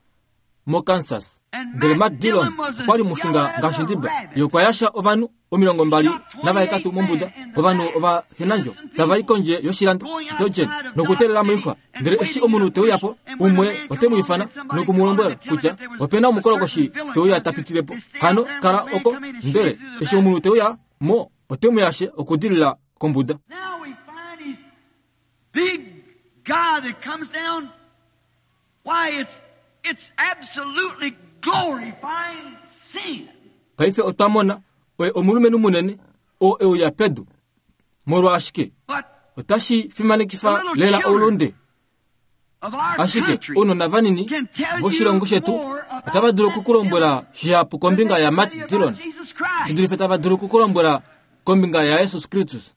moKansas. Ndele Matt Dillon okwa li mushunga ngaashi ndiba. Ye okwa yasha ovanhu 28 mombuda, ovanhu ovahenandjo tava i kondje yoshilando Dodgen nokuteelela moixwa. Ndele eshi omunhu te uya po, Umwe ote mu ifana noku mu lombwela kutya ope na omukolokoshi te uya ta pitile po. Hano kala oko, ndele eshi omunhu te uya mo, ote mu yashe okudilila kombuda. Big guy that comes down, why it's absolutely glorifying sin. Paife otwa mona oye omulumenhu munene oo e uya pedu. Molwashike otashi fimanekifa lela oulunde. Ashike ounona vanini voshilongo shetu otava dulu okukulombwela shihapu kombinga yaMatt Dillon shi dulife tava dulu okukulombwela kombinga yaJesus Kristus.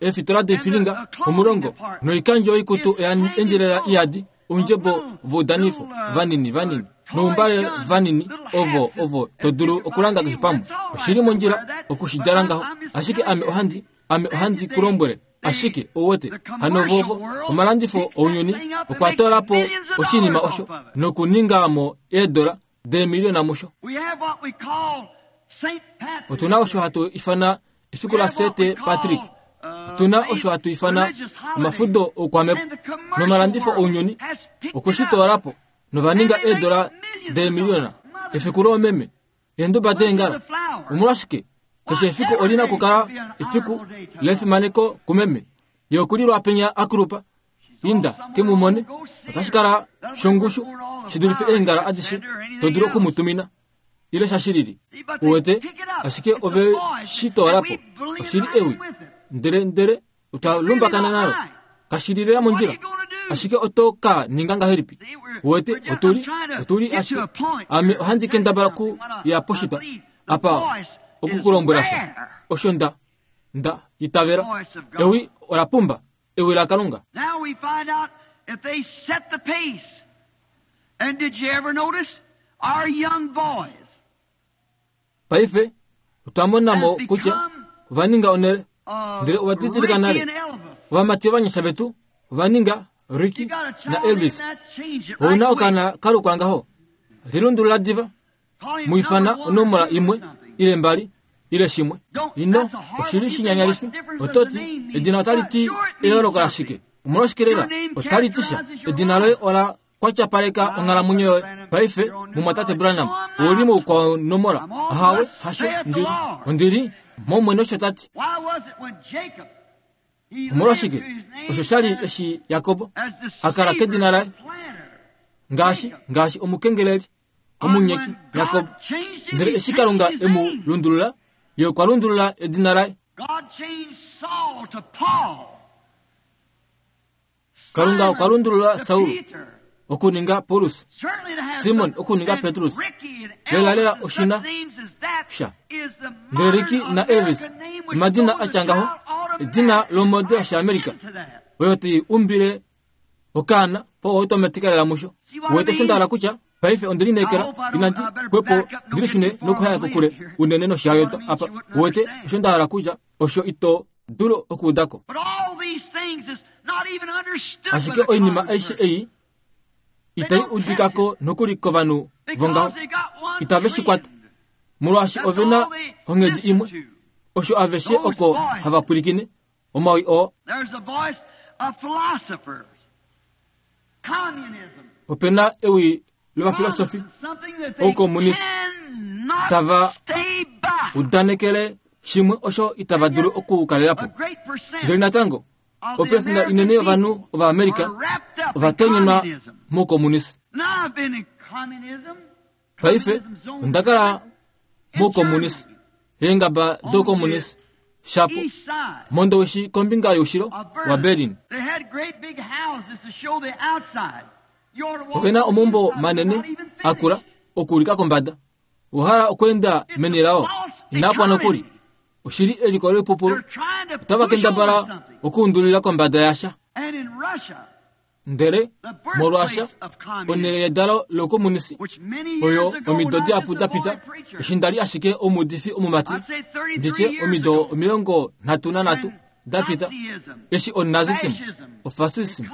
Eefitola doifilinga omulongo noikandjo yoikutu oya endjelela iyadi oundjebo voudanifo vanini vanini noumbale vanini ovo ovo to dulu okulanda keshe pamwe. Oshili mondjila okushidjala ngaho, ashike ame ohandi ku lombwele ashike ouwete hano vovo omalandifo ounyuni okwa toola po oshinima osho nokuninga mo eedola deemiliona musho. Otuna osho hatu ifana efiku la St. Patrick. Otuna osho hatu ifana omafudo oukwamepo nomalandifo ounyuni okwe shi toola po nova ninga eedola deemiliona. Efiku loomeme, eenduba deengala. Omolwashike keshe efiku olina okukala efiku lefimaneko kumeme. Ye okulilwa penya akulupa. Inda ke mu mone, otashi kala shongushu shi dulife eengala adishe to dulu oku mu tumina ile sha shilili. Uwete, ashike ove shi toola po. Oshili ewi, ndele ndele otwa lumbakana nalo. Kashi li lela mondjila. Ashike oto ka ninga ngahelipi? Uwete, otuli otuli ashike ame ohandi kendabala ku ya poshitwa apa okukulombwela sha. Osho nda nda itavela. Ewi ola pumba. Ewi laKalunga. Now we find out if they set the pace. And did you ever notice our young boys? Paife otwa mona mo kutya ova ninga onhele, ndele ova didilika nale. Ovamati ovanyasha vetu ova ninga Ricky na Elvis. Ou na okaana ka lukwa ngaho. Lilundulula diva. Mu ifana onomola imwe ile mbali ile shimwe. Ino, oshili shinyanyalifi. Oto ti, edina otali ti eyooloko lashike? Omolwashike lela otali ti sha? Edina loye ola kwatyapaleka onghalamwenyo yoye. Paife, mumwatate Branham, ou li moukwao nomola. Ahawe, hasho, ndili. Ondili mOmwene osho ta ti. Omolwashike osho sha li eshi Jakob a kala kedina laye ngaashi ngaashi omukengeleli omunyeki Jakob. Ndele eshi Kalunga e mu lundulula, ye okwa lundulula edina laye. Kalunga okwa lundulula Saul okuninga Paulus, Simon okuninga Petrus. Lelalela oshina sha. Ndele Ricky na Elvis, omadina a tya ngaho, edina lomode yOshiamerika, oyo tai umbile okaana po automatic lela musho. Uwete osho nda hala kutya? Paife onde lineekela inandi xwepo ndi lishune nokuhaya kokule unene noshihayota apa. Uwete osho nda hala kutya? Osho ito dulu okuuda ko. Ashike oinima aishe ei itai udika ko nokuli kovanhu vongaho. Itave shi kwata, molwaashi ove na onghedi imwe. Osho aveshe oko hava pwilikine, omawi oo. Ope na ewi lovafilosofi oukomunisi tava udanekele shimwe osho itava dulu okukalela po. Ndele natango, operesenda inene yovanhu Ovaamerica ova tonyenwa moukomunisi. Paife onda kala moukomunisi, eengaba doukomunisi, shapo mondowishi kombinga youshilo waBerlin. Ove na omaumbo manene akula okuulika kombada. Owa hala okweenda meni lao? Inaa pwa nokuli. Oshili eliko loipupulu. Otava kendabala okuundulila kombada yasha. Ndele molwaasha onhele yedalo loukomunisi oyo omido dihapu da pita, eshi nda li ashike omuudifi omumati, nditye omido 33 da pita, eshi onazism, ofasism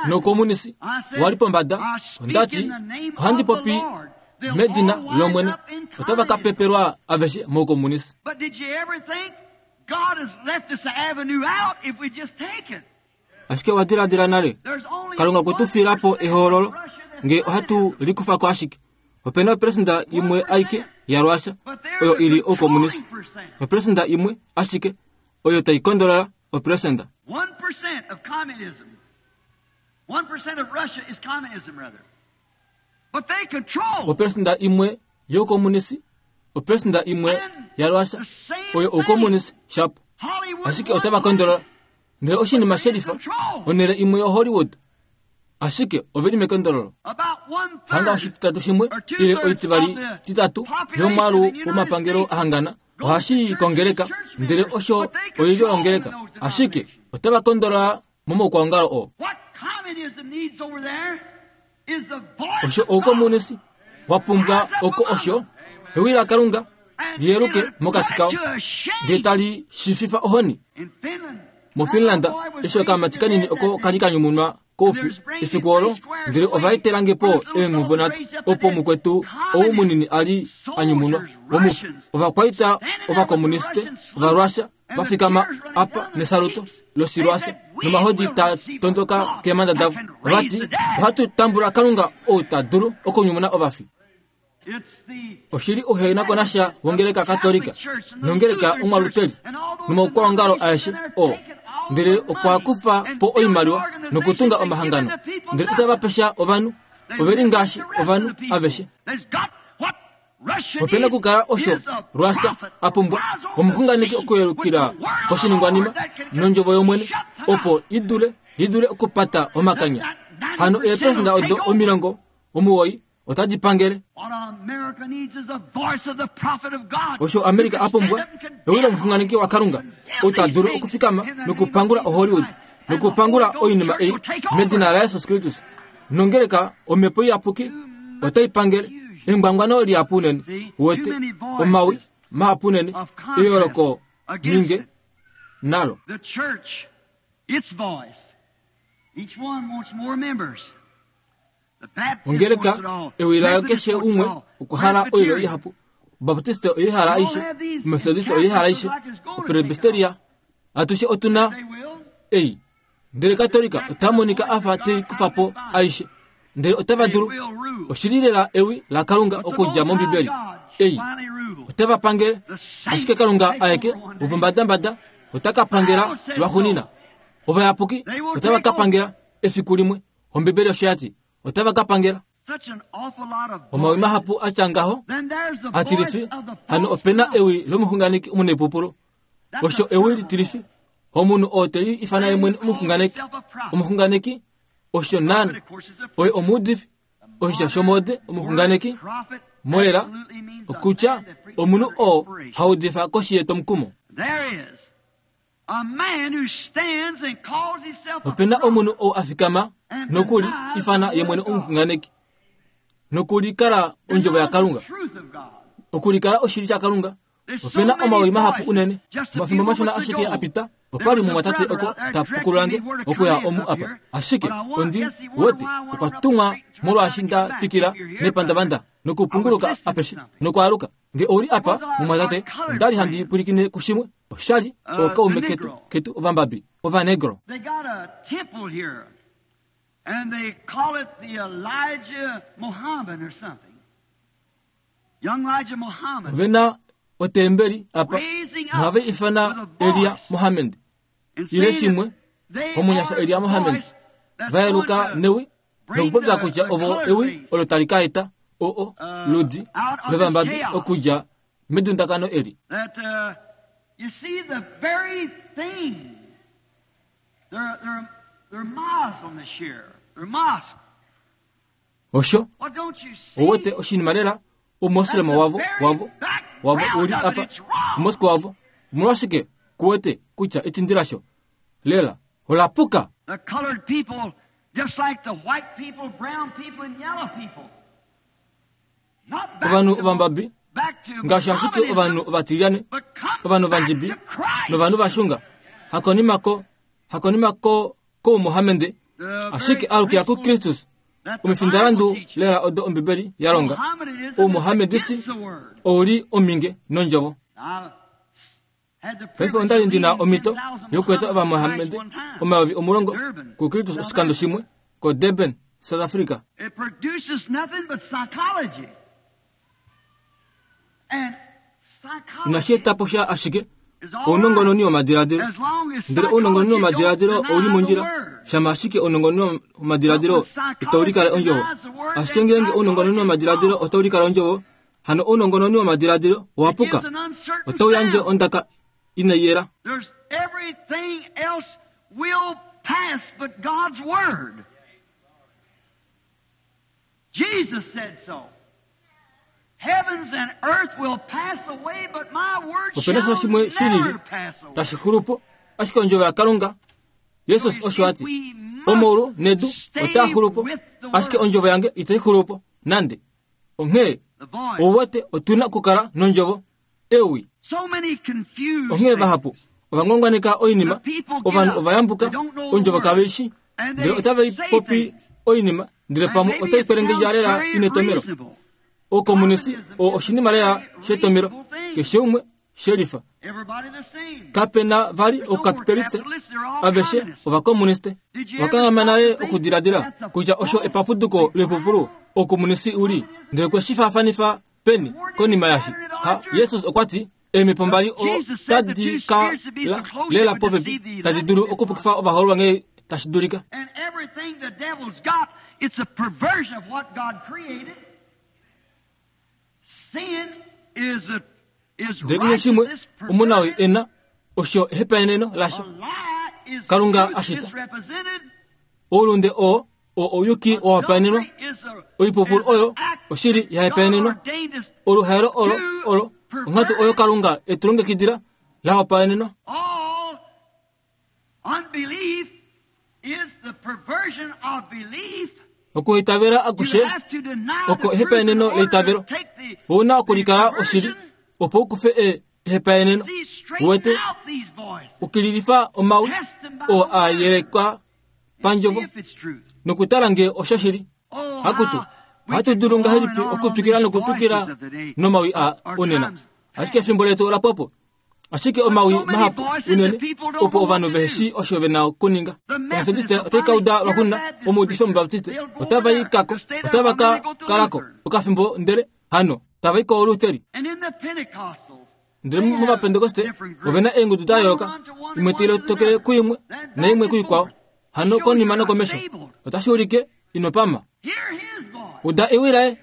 noukomunisi wa li pombada, onda ti, Ohandi popi medina lOmwene, otava ka pepelwa aveshe moukomunisi. Ashike owa diladila nale, Kalunga okwe tu fiila po ehoololo nge ohatu likufa ko ashike. Ope na operesenda imwe aike yaRusia oyo i li oukomunisi. Operesenda imwe ashike oyo tai kondolola operesenda. 1% of communism. 1% of Russia is communism, rather. But they control. Operesenda imwe youkomunisi, operesenda imwe yaRusia oyo oukomunisi shapo. Hollywood. Ashike otava kondolola. Ndele oshinima shelifa, onhele imwe yoHollywood. Ashike ove li mekondololo. About one Hanga third oshititatu shimwe ile oitivali titatu yomwaalu womapangelo ahangana ohashi i kongeleka, ndele osho oilyo yongeleka. Ashike otava kondolola momaukwaongalo oo. What communism needs over there is the voice Osho of God. oukomunisi wa pumbwa oko osho ewi laKalunga And liyeluke it mokati kao to a shame. ndele tali shififa ohoni. In Finland, MoFinland eshi okamati kanini oko kali ka nyumunwa koufi efiku olo, ndele ova etelange po eenghuvo nhatu opo mukwetu ou munini a li a nyumunwa womufi. Ovakwaita ovakomuniste Ovarussia va fikama apa nesaluto lOshirussia nomahodi taa tondoka keemhanda davo. Ova ti, ohatu tambula Kalunga ou ta dulu okunyumuna ovafi. It's the Oshili ouhenakonasha wongeleka Katolika nongeleka Omwaluteli nomaukwaongalo aeshe oo, ndele okwa kufa po oimaliwa nokutunga omahangano, ndele itava pesha ovanhu, ove li ngaashi ovanhu aveshe. There's got what Russia Ope na okukala needs osho is a Russia prophet a pumbwa, rise over omuxunganeki the scene okuyelukila with the word of the koshiningwanima Lord that can nondjovo yOmwene, shut the opo i dule okupata omakanya. Hano eeperesenda odo 90 otadi pangele. What America needs is the voice of the prophet of God. Osho America a pumbwa ewi lomuxunganeki waKalunga ou ta dulu okufikama nokupangula oHollywood nokupangula oinima ei medina laJesus Kristus. Nongeleka omhepo iyapuki otai pangele engwangwano lihapu unene, uwete omawi mahapu unene, eyooloko ninge nalo. The church, its voice. Each one wants more members. The Baptist Ongeleka wants it all. ewi layo Methodist keshe wants it umwe all. okwa hala oilyo Presbyterian. ihapu. Obaptiste oye hala aishe, Omethodiste oye hala aishe, Opresbyteria atushe otu na They will. ei. Ndele Katolika ota monika a fa te kufa po aishe, ndele otava They dulu will rule. oshili lela ewi laKalunga But the okudja Most High mOmbibeli God ei. finally rule. Otava pangele, The saints ashike Kalunga take aeke over one day. wopombadambada ota ka pangela lwaxunina. Ovayapuki They will otava take ka over. pangela efiku limwe. Ombibeli osho ya ti, otava ka pangela. Such an awful lot of Omawi voices. mahapu a tya ngaho Then there's the atilifi voice of the hano false ope na prophet. ewi lomuxunganeki omunepupulu. That's a Osho ewi terrible litilifi voice. omunhu oo te liifana ye mwene omuxunganeki. Omuxunganeki osho naana But of course it's a oye omuudifi oshitya shomode omuxunganeki prophet molela absolutely means a okutya man that preaches omunhu under oo inspiration. haudifa koshi yetomukumo. There is a man who stands and calls himself a Ope na prophet. omunhu oo a fikama nokuli ifana ye mwene omuxunganeki nokulikala ondjovo yaKalunga, The truth of God. okulikala oshili shaKalunga. There's so Ope na many omawi mahapu voices. unene. Just a few Omafimbo mashona moments ashike ago, a pita, there opa li was a mumwatate brother oko out there ta directing pukululange me where to okuya come in omu up apa. here. Ashike But I want, ondi guess he wondered wete why I went okwa on up the tumwa street and turned molwaashi around and nda come back. twikila If you're here, nepandavanda brother, I was nokupunguluka listening to apeshe something. nokwaaluka. Nge ouli It apa was our, mumwatate, our colored onda li handi friend, pwilikine kushimwe. Oshali the ookaume ketu Negro. ketu ovambabi ovanegro. They got a temple here, and they call it the Elijah Muhammad or something. Young Elijah Muhammad Ove na otembeli apa raising up nohava ifana with a Elia voice Mohammed and ile saying shimwe that they omunyasha are Elia the Mohammed voice that's va going yeluka to newi bring nokupopya the, kutya the ovo colored ewi race olo tali ka eta oo ludi out of this lovambabi chaos. okudja medundakano eli. That you see the very thing. They're Muslim this year. They're mosque. Osho Well, don't you see? owete oshinima lela That's omoslema the wavo very wavo wavo background uli of it. apa It's wrong. omosque wavo omolwashike kuwete kutya etindi lasho lela olapuka. The colored people, just like the white people, brown people, and yellow people. Not back Ovanhu to, ovambabi back to ngaashi ashike ovanhu Mohammedanism, ovatilyane but come ovanhu back ovandjibi to Christ. novanhu vashunga hakonima koumohamende The ashike very alukila principles kuKristus. that the Omifindalandu Bible teaches. lela odo Ombibeli ya longa. Mohammedanism is Oumohamedisi against the word. ouli ominge nondjovo. I Paife onda li ndi na omhito yokueta Ovamohamede 10,000 kuKristus oshikando shimwe koDurban, South Africa. Inashi eta po sha ashike ounongononi womadiladilo. Ndele ounongononi womadiladilo ou li mondjila, shama ashike ounongononi womadiladilo itau likala ondjovo. Ashike ngeenge ounongononi womadiladilo otau likala ondjovo, hano ounongononi womadiladilo owa puka. Otau yandje ondaka inai yela. Jesus said so. Heavens and earth will pass away, but my word Opena sha shall shimwe shi lili never pass away. tashi xulu po, ashike ondjovo yaKalunga, Jesus osho a ti, omaulu nedu otaa xulu po, ashike ondjovo yange itai xulu po nande. Onghee The voice. ouwete otu na okukala nondjovo ewi. So many confused Onghee vahapu things. ova ngwangwaneka oinima, ovanhu ova yambuka ondjovo kave i shii, ndele otave i popi oinima, ndele And pamwe maybe otai it kwelengedja sounds lela very inetomelo. reasonable. Oukomunisi oo oshinima lela shetomelo, keshe umwe shelifa. Everybody the same. Kape na vali oukapitaliste, aveshe ovakomuniste. Vakanghamana nale okudiladila kutya osho epapuduko loipupulu oukomunisi u li, ndele kwe shi faafanifa peni konima yashi. Ha, Jesus okwa ti, eemhepo mbali otadi ka lela popepi, tadi dulu okupukifa ovahoololwa nghee tashi dulika. And everything the devil's got, it's a perversion of what God created. Sin is a is Ndele keshe shimwe righteousness omunawii perverted. e na, osho ehepaeneno lasho. A lie is Kalunga truth ashita. misrepresented. Oulunde oo oo ouyuki wa hopaenenwa, Adultery is a- oipupulu is an oyo act oshili ya God hopaenenwa, ordained us oluhaelo olo olo onghatu oyo Kalunga e tu longekidila la hopaenenwa. All unbelief is the perversion of belief. Okuitavela You akushe have to deny oko the truth in ehepaeneno order to leitavelo. take the, Ou na the okulikala oshili perversion. opo u kufe ehepaeneno. See, straighten Uwete out these voices. ukililifa omawi Test them by oo the a word. yelekwa pandjovo See if it's truth. nokutala ngee oshoshili. Oh, Hakutu, how we ohatu could dulu go on ngahelipi and on on okutwikila these nokutwikila voices of the day. nomawi a Our onena. times Ashike efimbo letu ola pwa po. Ashike But omawi so many mahapu voices unene that people don't opo know what ovanhu to vehe do. shii osho ve na okuninga. The Omethodist Methodists will otai ka finally uda hear lwaxuuninwa, a Baptist omuudifi preacher. Omubaptiste They'll go otava over i there. kako, They'll stay there otava for a ka minute, go to kalako Lutheran. okafimbo ndele hano tava i koolutheri. And in the Pentecostals, Ndele they have movapentekoste different ove na groups. eengudu da One yooloka, run to one and imwe one tai to lotokele another. kuimwe Then back naimwe and kuikwao, forth. hano Shows konima you're not nokomesho. stable. Otashi ulike ino pama. Hear his voice. Uda ewi laye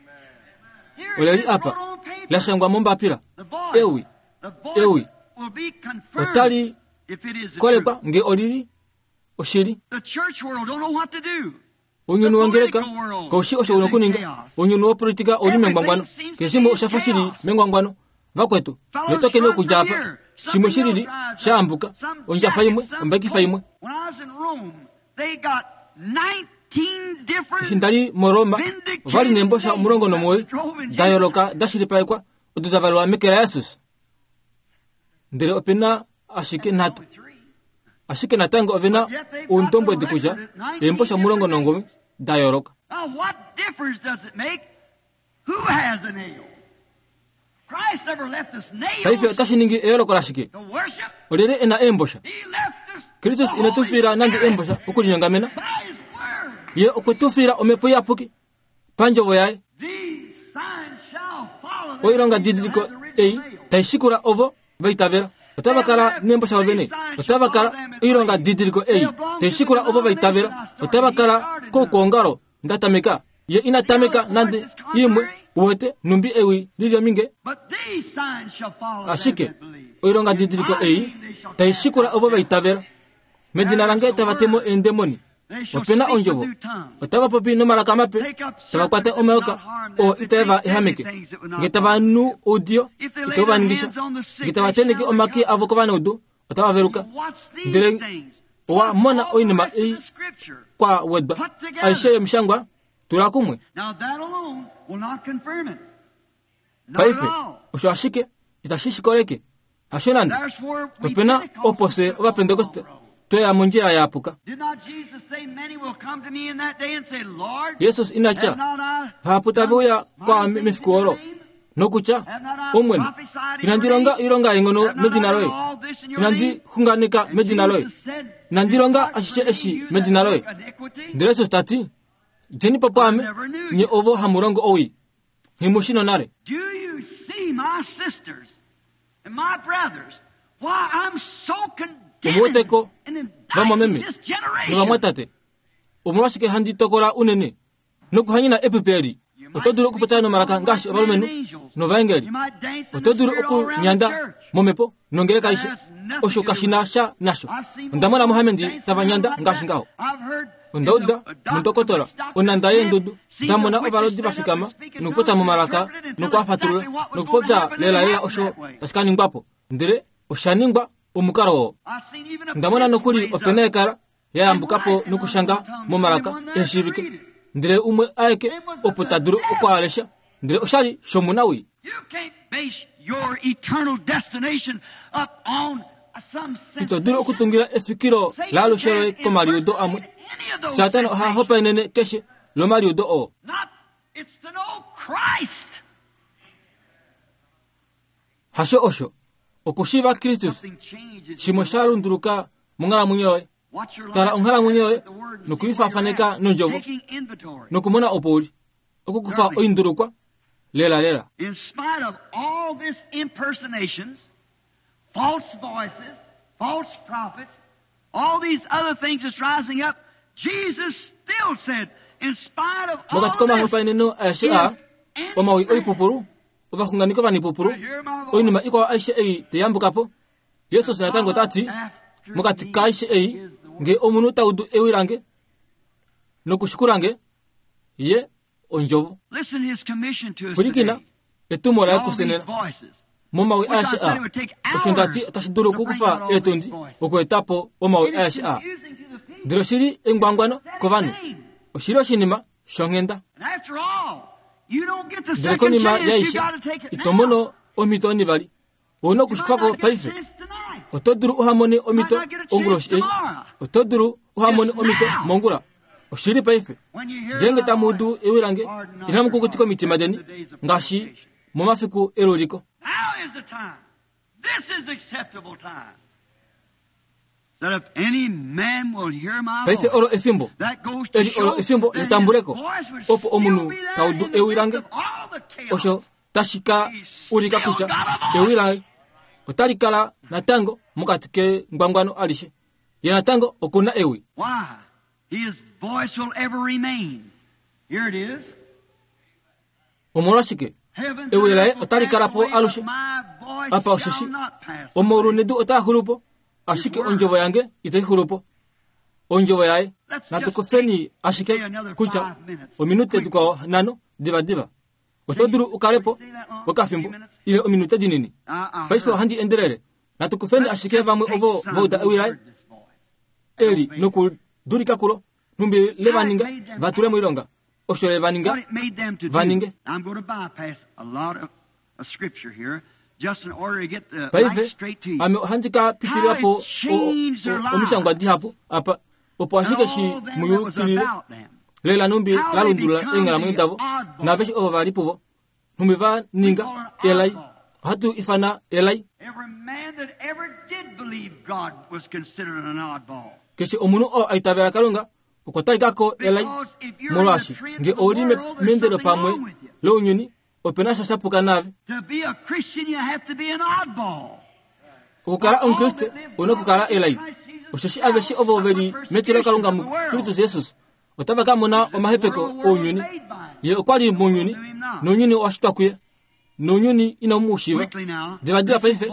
Here ole it li is apa wrote on paper. la shangwa mombapila. The voice. Ewi The voice ewi will be confirmed otali if it is the kolekwa truth. nge olili oshili. The church world don't know what to do. Ounyuni The wongeleka political world kaushi osho is una in okuninga. chaos. Ounyuni wopolitika ouli mengwangwano. Everything seems Keshe to shimwe be in osha fa shili chaos. mengwangwano. Vakwetu, Fellows letokeni run okudja from apa. here. Shimwe Something shilili else rises sha up. ambuka, Some ondjafa jacket, imwe, some ombakifa coat. imwe. When I was in Rome, they got 19 different Eshi nda li moRoma, ova li vindicated neembosha names omulongo that nomuwoi drove in da Jesus. yooloka da shilipalekwa odo da valelwa meke laJesus. Ndele ope na ashike That's nhatu. only three. Ashike natango ove na But yet they've got the oundombwedi kutya record at 19 eembosha different 19 names. da yooloka. Now, what difference does it make who has a nail? Christ never left us Paife nails otashi ningi eyooloko lashike? to worship. Olyelye e na eembosha? He left us Kristus the ine tu Holy fiila nande Spirit eembosha okulinyongamena. by His Word. Ye okwe tu fiila omhepo iyapuki pandjovo yaye. These signs shall follow them Oilonga that didiliko have the original ei nail. tai shikula ovo va itavela. Otava kala neembosha vovene. Otava kala oilonga didiliko ei tai shikula ovo va itavela. Otava kala koukongalo nda tameka. Ye ina tameka nande imwe uwete numbi ewi lili ominge. But these signs shall follow them Ashike that believe. oilonga In didiliko my ei name they shall tai cast shikula out ovo va devils. itavela. Medina There lange is the tava temo word. eendemoni. They shall Opena speak with ondjovo. new tongues. Otava popi nomalaka mape. Take up Tava kwata serpents that would omayoka not harm them. oo If they itae va drink ehameke. deadly things that would Nge not tava harm nu them. oudiyo If they lay itau va their ningisha. hands on the sick, Nge tava they teneke shall omake recover. avo kovanaudu otava veluka. You watch these Ndele things. owa Plus mona all the oinima rest of ei the scripture kwa wedwa. put together. Aishe yomishangwa tula kumwe. Now that alone will not confirm it. Not at Paife all. osho ashike itashi shi koleke. Hasho nande. That's where we Opena opo Pentecostals fye took off the Ovapentekoste wrong road. tweya mondjila ya puka. Did not Jesus say, Many will come to me in that day and say, Lord, Jesus ina tya have not I vahapu tave done uya mighty kwaame things mefiku in your olo name? Nokutya, Omwene, inandi longa oilonga yeenghono medina loye? Inandi xunganeka medina loye? Inandi longa ashishe eshi medina loye? Ndele Jesus ta ti, Djeni po pwaame, nye ovo hamu longo owii. Nghi mu shi nonale. Omu wete ko, vamwameme novamwatate, omolwashike handi tokola unene nokuhanyena epupi eli? Oto dulu okupopya nomalaka ngaashi ovalumenhu novaengeli. Oto dulu okunyanda momhepo nongeleka aishe. Osho kashi na sha nasho. Onda mona Mohamedi tava nyanda ngaashi ngaho. Onda uda mundokotola onhanda yeendudu, nda mona ovalodi va fikama nokupopya momalaka noku a fatulula nokupopya lelalela osho tashi ka ningwa po. Ndele osha ningwa omukalo oo. Onda mona nokuli opena yekala ya yambuka po nokushanga momalaka ehe shiivike, ndele umwe aeke opo ta dulu oku a lesha, ndele osha li shomunawii. Ito dulu okutungila efikilo laalushe loye komaliudo amwe. Satana oha hopaenene keshe lomaliudo oo. Hasho osho. Okushiiva Kristus shimwe sha lunduluka monghalamwenyo yoye. Tala onghalamwenyo yoye nokuifaafaneka nondjovo nokumona opo u li. Okukufa oindulukwa lelalela. In spite of all this impersonations, false voices, false prophets, all these other things that's rising up, Jesus still said, in spite of all Mokati komahopaeneno aeshe aa, omawi oipupulu, ovaxunganeki ovanipupulu, oinima ikwao aishe ei tai yambuka po, Jesus natango ota ti, mokati kaaishe ei, nge omunhu ta udu ewi lange nokushikula nge, ye ondjovo. Pwilikina etumo laye kufye nena. Momawi aeshe aa, osho nda ti otashi dulu okukufa eetundi okueta po omawi aeshe aa. Ndele oshi li engwangwano kovanhu. Oshi li oshinima shonghenda. Ndele konima yaishe, ito mono omhito onivali. Ou na okushikwa ko paife. Oto dulu uha mone omhito onguloshi ei. Oto dulu uha mone omhito mongula. Oshili paife. Ngeenge tamu udu ewi lange, inamu kukutika omitima deni ngaashi momafiku eluliko. Paife olo efimbo. Eli olo efimbo letambuleko, opo omunhu ta udu ewi lange. Osho tashi ka ulika kutya ewi laye otali kala natango mokati kengwangwano alishe. Ye natango oku na ewi. Omolwashike? Ewi laye otali kala po alushe. Apa osheshi omaulu nedu otaa xulu po, ashike ondjovo yange itai xulu po. Ondjovo yaye. Natu kufeni ashike kutya ominute dikwao nhano divadiva. Oto dulu u kale po okafimbo ile ominute dinini. Paife ohandi endelele. Natu kufeni ashike vamwe ovo va uda ewi laye eli nokudulika kulo, nhumbi le va ninga va tule moilonga osho le va ninga va ninge. Paife ame ohandi ka pitilila po omishangwa dihapu apa opo ashike shi mu yukilile lela nhumbi la lundulula eenghalamwenyo davo naaveshe ovo va li puvo nhumbi va ninga elai ohatu ifana elai keshe omunhu oo a itavela kalunga okwa talika ko elai molwaashi nge ou li meendelo pamwe lounyuni ope na sha sha puka naave. Okukala Omukriste ou na okukala elai, osheshi aveshe ovo ve li metilokalunga muKristus Jesus otava ka mona omahepeko ounyuni. Ye okwa li mounyuni, nounyuni owa shitwa kuye, nounyuni inau mu shiiva. Divadiva paife,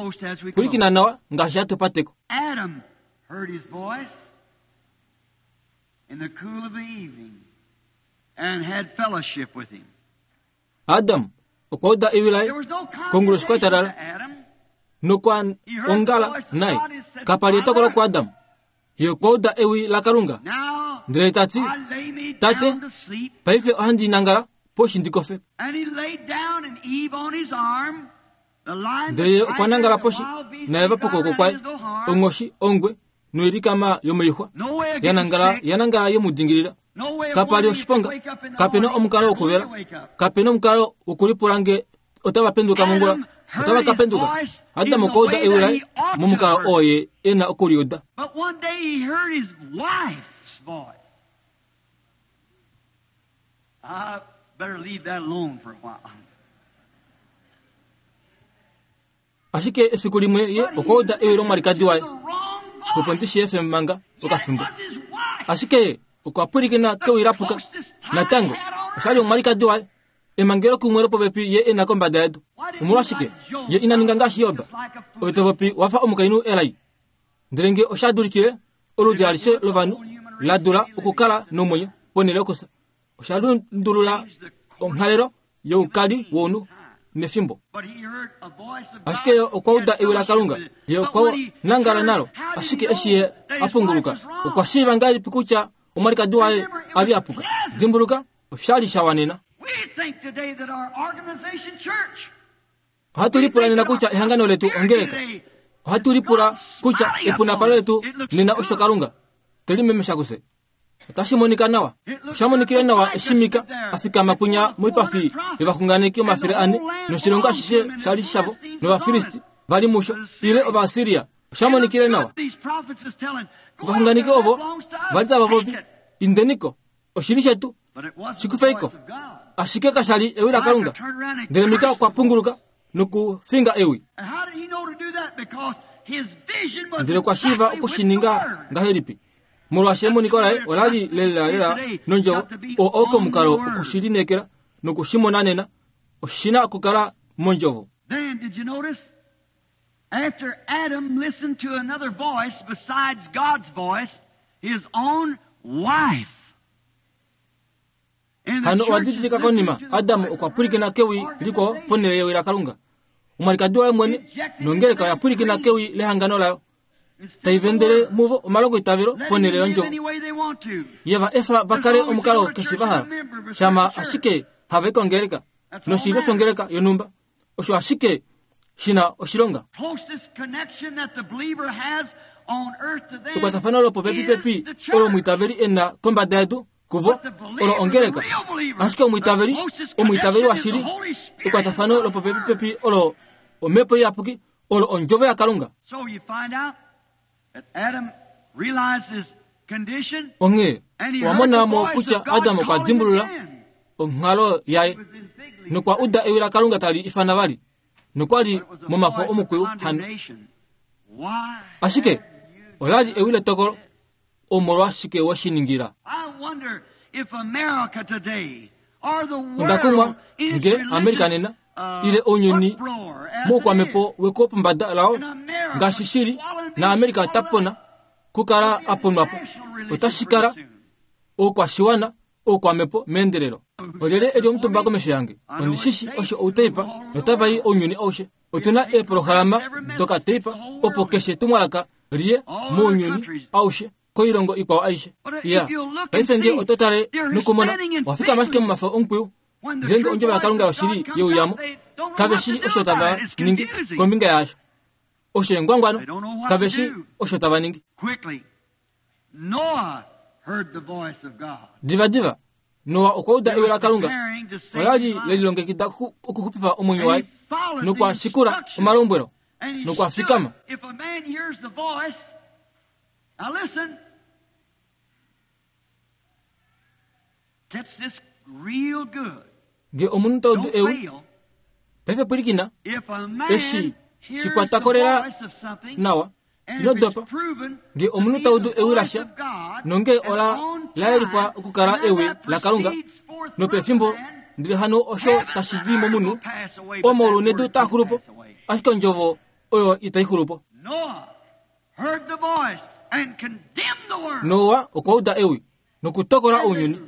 pwilikina nawa ngaashi hatu pateko. Adam heard his voice in the cool of the evening and had fellowship with him. Adam okwa uda ewi laye konguloshi kwa talala nokwa ongala naye. Kapa li etokolo kuAdam. Ye okwa uda ewi laKalunga ndele ta ti, Tate, paife ohandi nangala poshi ndi kofe. Ndele ye okwa nangala poshi naEva pokwooko kwaye, onghoshi, ongwe noilikama yomoixwa ya nangala ya nangala ye mu dingilila. Kapa li oshiponga, kape na omukalo wokuvela, kape na omukalo wokulipula nge Otava penduka mongula, otava ka penduka. Adam okwa uda ewi laye momukalo oo ye e na oku li uda. But one day he heard his wife's voice. I better leave that alone for a while. Ashike efiku limwe ye okwa uda ewi lomwalikadi waye. Opo ndi shi efe manga okafimbo. Ashike ye okwa pwilikina kewi la puka. Natango, osha li omwalikadi waye. Emangelo kumwe lopopepi ye e na kombada yedu. Omolwashike ye ina ninga ngaashi Job? Ove to popi wa fa omukainhu elai. Ndele nge osha dulikile, oludi alishe lovanhu la dula okukala nomwenyo ponhele yokusa. Osha lundulula onghalelo youkali wounhu nefimbo. Ashike ye okwa uda ewi laKalunga, ye okwa nangala nalo. Ashike eshi ye a punguluka, okwa shiiva ngahelipi kutya omwalikadi waye a li a puka? Dimbuluka, osha li sha wanena. Ohatu lipula nena kutya ehangano letu ongeleka. Ohatu lipula kutya epunapalo letu nena osho Kalunga te limemesha kufye. Otashi monika nawa. Osha monikile nawa eshi Mika a fikama kwinya moipafi yovaxunganeki 400 noshilongo ashishe sha li shavo nOvafilisti va li musho ile Ovaasiria. Osha monikile nawa. Ovaxunganeki ovo va li tava popi, Indeniko, oshili shetu, shi kufeiko. Ashike kasha li ewi laKalunga. Ndele Mika okwa punguluka nokufinga ewi. Ndele okwa shiiva oku shi ninga ngahelipi? Molwaashi emoniko laye ola li lelalela nondjovo, oo oo komukalo oku shi lineekela noku shi mona nena, oshi na okukala mondjovo. Then, did you notice? After Adam listened to another voice besides God's voice, his own wife. Hano owa didilika konima Adam okwa pwilikina kewi likwao ponhele yewi laKalunga. Omwalikadi waye mwene nongeleka oya pwilikina kewi lehangano layo, tai vendele muvo omalongoitavelo ponhele yondjovo. Ye va efa va kale omukalo keshe va hala, shama ashike hava i kongeleka noshilyo shongeleka yonhumba. Osho ashike shi na oshilonga. Ekwatafano lopopepipepi olo omwiitaveli e na kombada yedu kuvo olo ongeleka. Ashike omwiitaveli, omwiitaveli washili, ekwatafano lopopepipepi olo Omhepo Iyapuki, olo Ondjovo yaKalunga. Onghee owa mona mo kutya Adam okwa dimbulula onghalo yaye nokwa uda ewi laKalunga tali ifana vali, nokwa li momafo omukwiyu hano. Ashike ola li ewi letokolo. Omolwashike we shi ningila? Onda kumwa nge Amerika nena ile ounyuni moukwamhepo wekopombada lao ngaashi shili na Amerika ota pona kukala a ponwa po. Otashi kala oukwashiwana oukwamhepo meendelelo. Olyelye e li omutumba komesho yange? Ondi shi shi osho outeipa notava i ounyuni aushe. Otu na eeprograma dokateipa opo keshe etumwalaka liye mounyuni aushe koilongo ikwao aishe. Ya, paife nge oto tale nokumona, owa fikama ashike momafo omukwiyu. Ngeenge ondjovo yaKalunga yoshili ye uya mo, kave shii osho tava ningi kombinga yaasho. Osho engwangwano, kave shii osho tava ningi. Divadiva, Noa okwa uda ewi laKalunga. Ola li le lilongekida okuxupifa omwenyo waye, nokwa shikula omalombwelo nokwa fikama. Nge omunhu ta udu ewi, paife pwilikina, eshi shi kwata ko lela nawa, ino dopa. Nge omunhu ta udu ewi lasha, nonge ola la yelifwa okukala ewi laKalunga, nopefimbo ndele hano osho tashi di momunhu, omaulu nedu taa xulu po, ashike ondjovo oyo itai xulu po. Noa okwa uda ewi nokutokola ounyuni,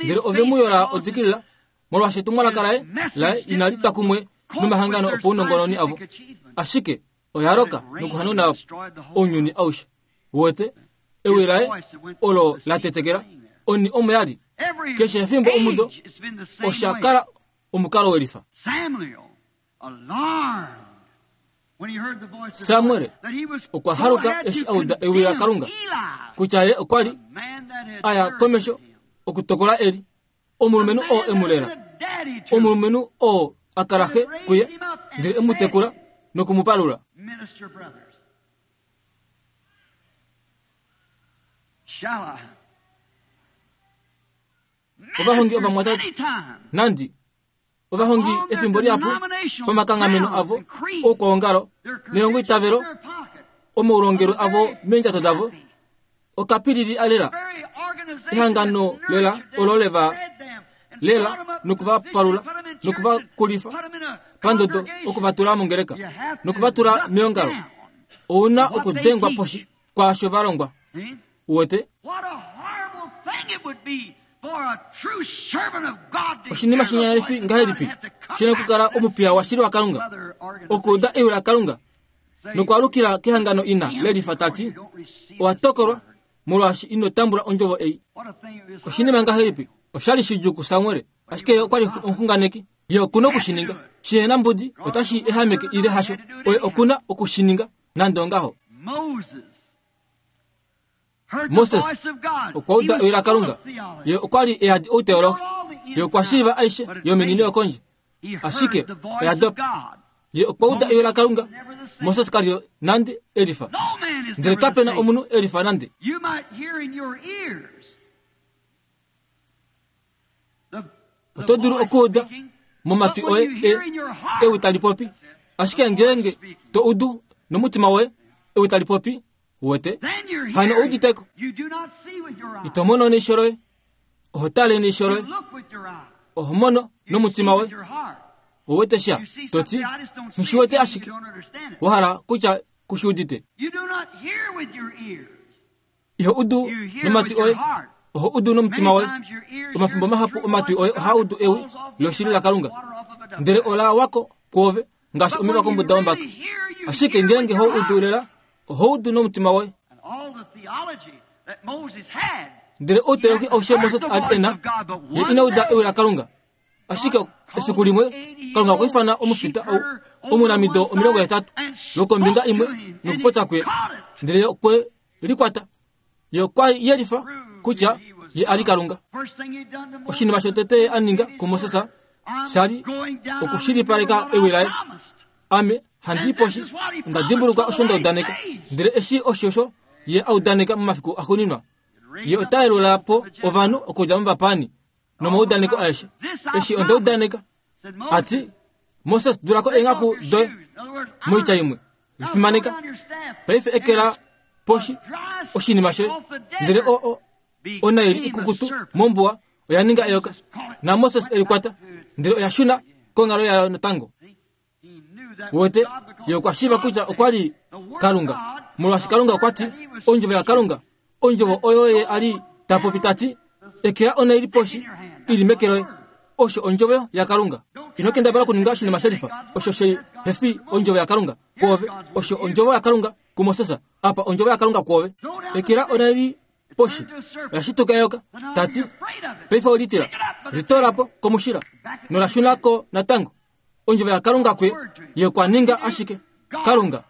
ndele ove mu yola odikilila, molwaashi etumwalaka laye laye inali twa kumwe nomahangano opaunongononi avo. Ashike oya loka nokuhanauna ounyuni aushe. Uwete, ewi laye olo la tetekela, oni omo ya li. Keshe efimbo omudo osha kala omukalo welifa. Samuel okwa haluka eshi a uda ewi laKalunga kutya ye okwa li a ya komesho okutokola Eli, omulumenhu oo e mu lela, omulumenhu oo a kala xe kuye, ndele e mu tekula noku mu palula. Minister brothers. Shall I? Ovahongi ovamwatate, nandi ovahongi efimbo lihapu pamakanghameno avo oukwaongalo nelongoitavelo omaulongelwe avo meendjato davo okapilili alela ehangano lela olo leva lela noku va palula noku va kulifa pandodo oku va tula mongeleka noku va tula meongalo. Ou na okudengwa poshi kwaasho va longwa. Uwete? Oshinima shinyanyalifi ngahelipi shi na okukala omupiya washili waKalunga okuuda ewi laKalunga nokwaalukila kehangano ina lelifa ta ti, Owa tokolwa molwaashi ino tambula ondjovo ei. Oshinima ngahelipi? Osha li shidjuu kuSamuel, ashike ye okwa li omuxunganeki. Ye oku na oku shi ninga. Shi na mbudi otashi ehameke ile hasho, oye oku na oku shi ninga nande ongaho. Moses okwa uda ewi laKalunga. Ye okwa li e yadi outeologi. Ye okwa shiiva aishe yomeni noyokondje. Ashike oya dopa. Ye okwa uda ewi laKalunga. Moses ka li nande e lifa. Ndele kape na omunhu e lifa nande. Oto dulu okuuda momatwi oye e, ewi tali popi. Ashike ngeenge to udu nomutima woye ewi tali popi, Uwete? Hano ou udite ko. Ito mono neisho loye. Oho tale neisho loye. Oho mono nomutima woye. Uwete sha, to ti, Nghi wete ashike. Wa hala kutya ku shi udite. Iho udu nomatwi oye. Oho udu nomutima woye. Omafimbo mahapu omatwi oye ohaa udu ewi loshili laKalunga. Ndele ola wako kwoove ngaashi omeva kombuda wombaka. Ashike ngeenge ho udu lela, oho udu nomutima woye. Ndele outeologi aushe Moses a li e na, ye ina uda ewi laKalunga. Ashike efiku limwe Kalunga okwa ifana omufita ou omunamido 80 lokombinga imwe nokupopya kuye, ndele ye okwe likwata. Ye okwa yelifa kutya ye a li Kalunga. Oshinima shotete ye a ninga kuMoses sha li okushilipaleka ewi laye. Ame handi i poshi, onda dimbuluka osho nda udaneka. Ndele eshi oshosho ye a udaneka momafiku axuuninwa, ye ota yelula po ovanhu okudja movapaani nomaudaneko aeshe. Eshi onda udaneka, a ti, Moses, dula ko eenghaku doye. Moitya imwe, lifimaneka. Paife ekela poshi oshinima shoye. Ndele o, o, onaili ikukutu mombuwa oya ninga eyoka, naMoses e likwata, ndele oya shuna konghalo yayo natango. Wete, ye okwa shiiva kutya okwa li Kalunga, molwaashi Kalunga okwa ti, Ondjovo yaKalunga, ondjovo oyo ye a li ta popi ta ti, Ekela onaili poshi i li meke loye. Osho ondjovo yaKalunga. Ino kendabala okuninga oshinima shelifa osho shi he fi ondjovo yaKalunga kwoove. Osho ondjovo yaKalunga kuMoses. Apa ondjovo yaKalunga kwoove. Ekela onaili poshi oya shituka eyoka, ta ti, Paife olitila, litoola po komushila, nola shuna ko natango. Ondjovo yaKalunga kuye, ye okwa ninga ashike Kalunga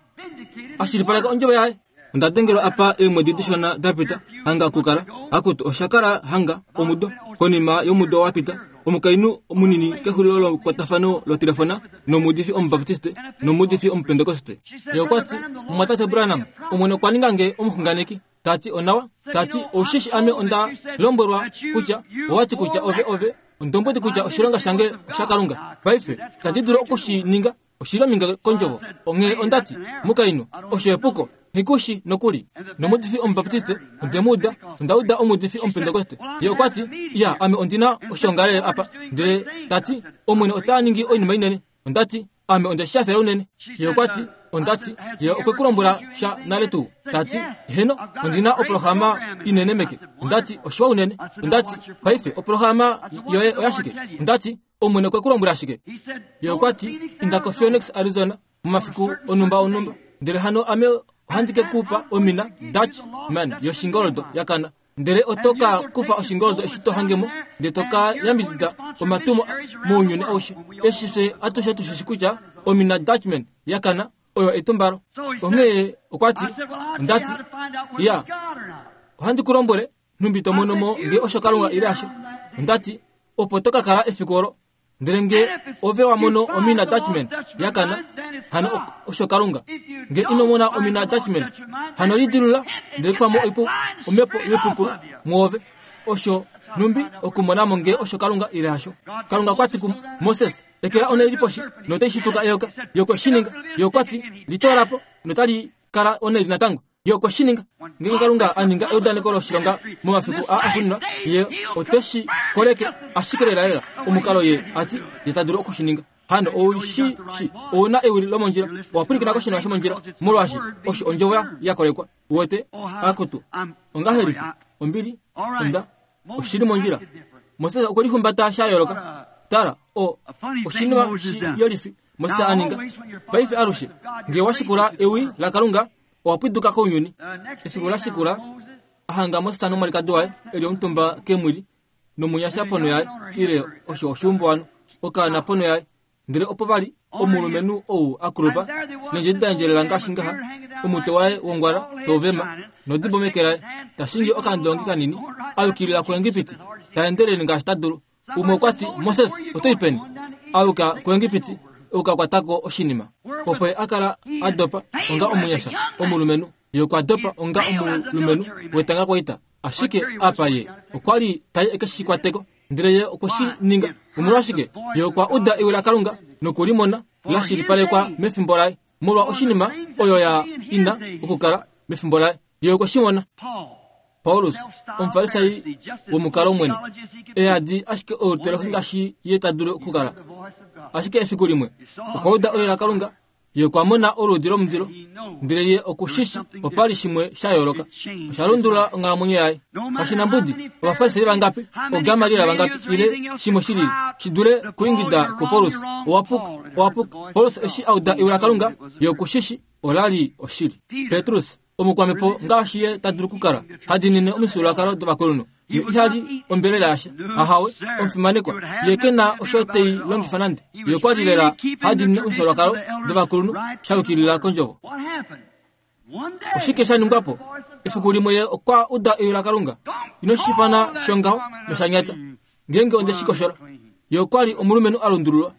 a shilipaleka ondjovo yaye. Onda dengelwa apa eemwedi dishona da pita, hanga okukala, akutu, osha kala hanga omudo konima yomudo wa pita, omukainhu munini kexulilo lekwatafano lotelefona nomuudifi Omubaptiste nomuudifi Omupentekoste. Ye okwa ti, Mumwatate Branham, Omwene okwa ninga nge omuxunganeki. Ta ti, Onawa. Ta ti, Oushishi ame onda lombwelwa kutya owa ti kutya ove, ove ondombwedi kutya oshilonga shange oshaKalunga. Paife, itandi dulu oku shi ninga, oshi li ominge kondjovo. Onghee onda ti, Mukainhu, osho epuko. Nghi ku shi nokuli. Nomuudifi Omubaptiste, onde mu uda, onda uda omuudifi Omupentekoste. Ye okwa ti, Iya, ame ondi na oshoongalele apa. Ndele ta ti, Omwene ota ningi oinima inene. Onda ti, Ame onde shi hafela unene. Ye okwa ti, Onda ti, ye okwe ku lombwela sha nale tuu? Ta ti, Heno, ondi na oprograma inene meke. Onda ti, Oshiwa unene. Onda ti, Paife, oprograma yoye oyashike? Onda ti, Omwene okwe ku lombwela shike? Ye okwa ti, Inda koPhoenix, Arizona, momafiku onhumba onhumba, ndele hano ame ohandi ke ku pa omina Dutch man yoshingoldo ya kana. Ndele oto ka kufa oshingoldo eshi to hange mo, ndele to ka yambidida omatumo mounyuni aushe. Eshi fye atushe tu shishi kutya omina Dutchman ya kana oyo etumbalo. Onghee okwa ti, onda ti, Ya, ohandi ku lombwele nhumbi to mono mo nge osho Kalunga ile hasho. Onda ti, Opo to ka kala efiku olo. Ndele nge ove wa mono omina Dutchman ya kana, hano osho Kalunga. Nge ino mona omina Dutchman, hano lidilula ndele kufa mo omhepo yoipupulu mwoove. Osho nhumbi okumona mo nge osho Kalunga ile hasho. Kalunga okwa ti kuMoses, Ekela onhaili poshi notai shituka eyoka. Ye okwe shi ninga. Ye okwa ti, Li toola po notali kala onhaili natango. Ye okwe shi ninga. Ngeenge Kalunga a ninga eudaneko loshilonga momafiku aa axuuninwa, Ye ote shi koleke ashike lelalela omukalo Ye a ti Ye ta dulu oku shi ninga. Hano ou shi shi, ou na ewi lomondjila, owa pwilikina koshinima shomondjila, molwaashi osho ondjovo ya kolekwa. Uwete? Akutu, ongahelipi? Ombili, onda, oshi li mondjila. Moses okwe lihumbata sha yooloka. Tala, o, oshinima shi yolifi Moses a ninga. Paife alushe, nge wa shikula ewi laKalunga, owa pwiduka kounyuni. Efiku la shikula, a hanga Moses nomwalikadi waye e li omutumba kemwili, nomunyasha ponho yaye, ile osho oshiumbo okaana ponho yaye. Ndele opo va li omulumenhu ou a kulupa, neendjedi da endjelela ngaashi ngaha, omutwe waye wongwala tau vema, nodibo meke laye, ta shingi okandongi kanini, a yukilila kuEgipiti, ta endelele ngaashi ta dulu. Umwe okwa ti, Moses, oto i peni? A yuka kuEgipiti, oku ka kwata ko oshinima. Opo ye a kala a dopa onga omunyasha, omulumenhu. Ye okwa dopa onga omulumenhu wetangakwaita. Ashike apa ye okwa li tai e ke shi kwate ko. Ndele ye okwe shi ninga. Omolwashike? Ye okwa uda ewi laKalunga noku li mona la shilipalekwa mefimbo laye, molwa oshinima oyo ya ina okukala mefimbo laye. Ye okwe shi mona. Paulus, Omufarisai womukalo mwene, e yadi ashike outelohi ngaashi ye ta dulu okukala. Ashike efiku limwe okwa uda ewi laKalunga Ye okwa mona oluudi lomundilo, ndele ye oku shi shi opa li shimwe sha yooloka. Osha lundulula onghalamwenyo yaye. Kashi na mbudi Ovafarisai vangapi, ooGamaliel vangapi, ile shimwe shi lili, shi dule kuingida kuPaulus, Owa puka, owa puka. Paulus eshi a uda ewi laKalunga, ye oku shi shi ola li oshili. Petrus, omukwamhepo ngaashi ye ta dulu okukala, ha diinine omifyuululwakalo dovakulunhu. Ye iha li ombelela yasha. Ahawe, omufimanekwa. Ye ke na osho te i longifa nande. Ye okwa li lela ha diinine omifyuululwakalo dovakulunhu sha yukilila kondjovo. Oshike sha ningwa po? Efiku limwe ye okwa uda ewi laKalunga. Ino shi ifana shongaho nosha nyata. Ngeenge onde shi koshola. Ye okwa li omulumenhu a lundululwa.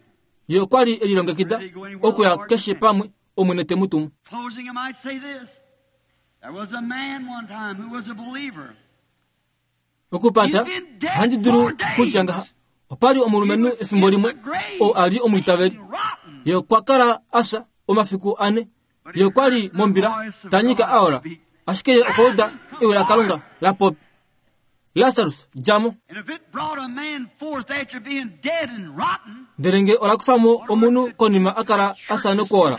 Ye okwa li e lilongekida okuya keshe pamwe Omwene te mu tumu. Okupata, ohandi dulu kutya ngaha, opa li omulumenhu efimbo limwe oo a li omwiitaveli. Ye okwa kala a fya omafiku ane. Ye okwa li mombila ta nyika a ola, ashike ye okwa uda ewi laKalunga la popya, Lasarus, dja mo! Ndele nge ola kufa mo omunhu konima a kala a fya nokuola,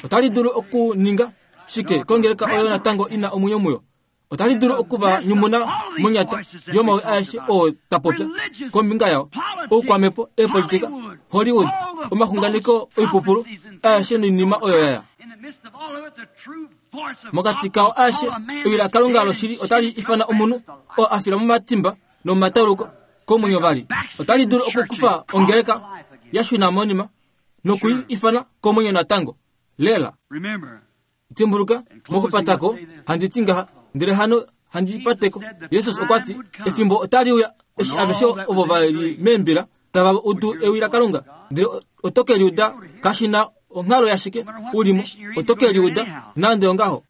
otali dulu okuninga shike kongeleka oyo natango i na omwenyo muyo? Otali dulu oku va nyumuna monyata yomawi aeshe oo ta popya kombinga yao, oukwamhepo, eepolitika, Hollywood, omaxunganeko oipupulu aeshe noinima oyo ya ya. Mokati kao aeshe, ewi laKalunga loshili otali ifana omunhu oo a fila momatimba nomomatauluko komwenyo vali. Otali dulu okukufa ongeleka ya shuna monima noku i ifana komwenyo natango. Lela. Dimbuluka, mokupata ko, handi ti ngaha, ndele hano handi pate ko. Jesus okwa ti, Efimbo otali uya eshi aveshe ovo va li meembila tava udu ewi laKalunga, ndele oto ke li uda kashi na onghalo yashike u li mo, oto ke li uda nande ongaho.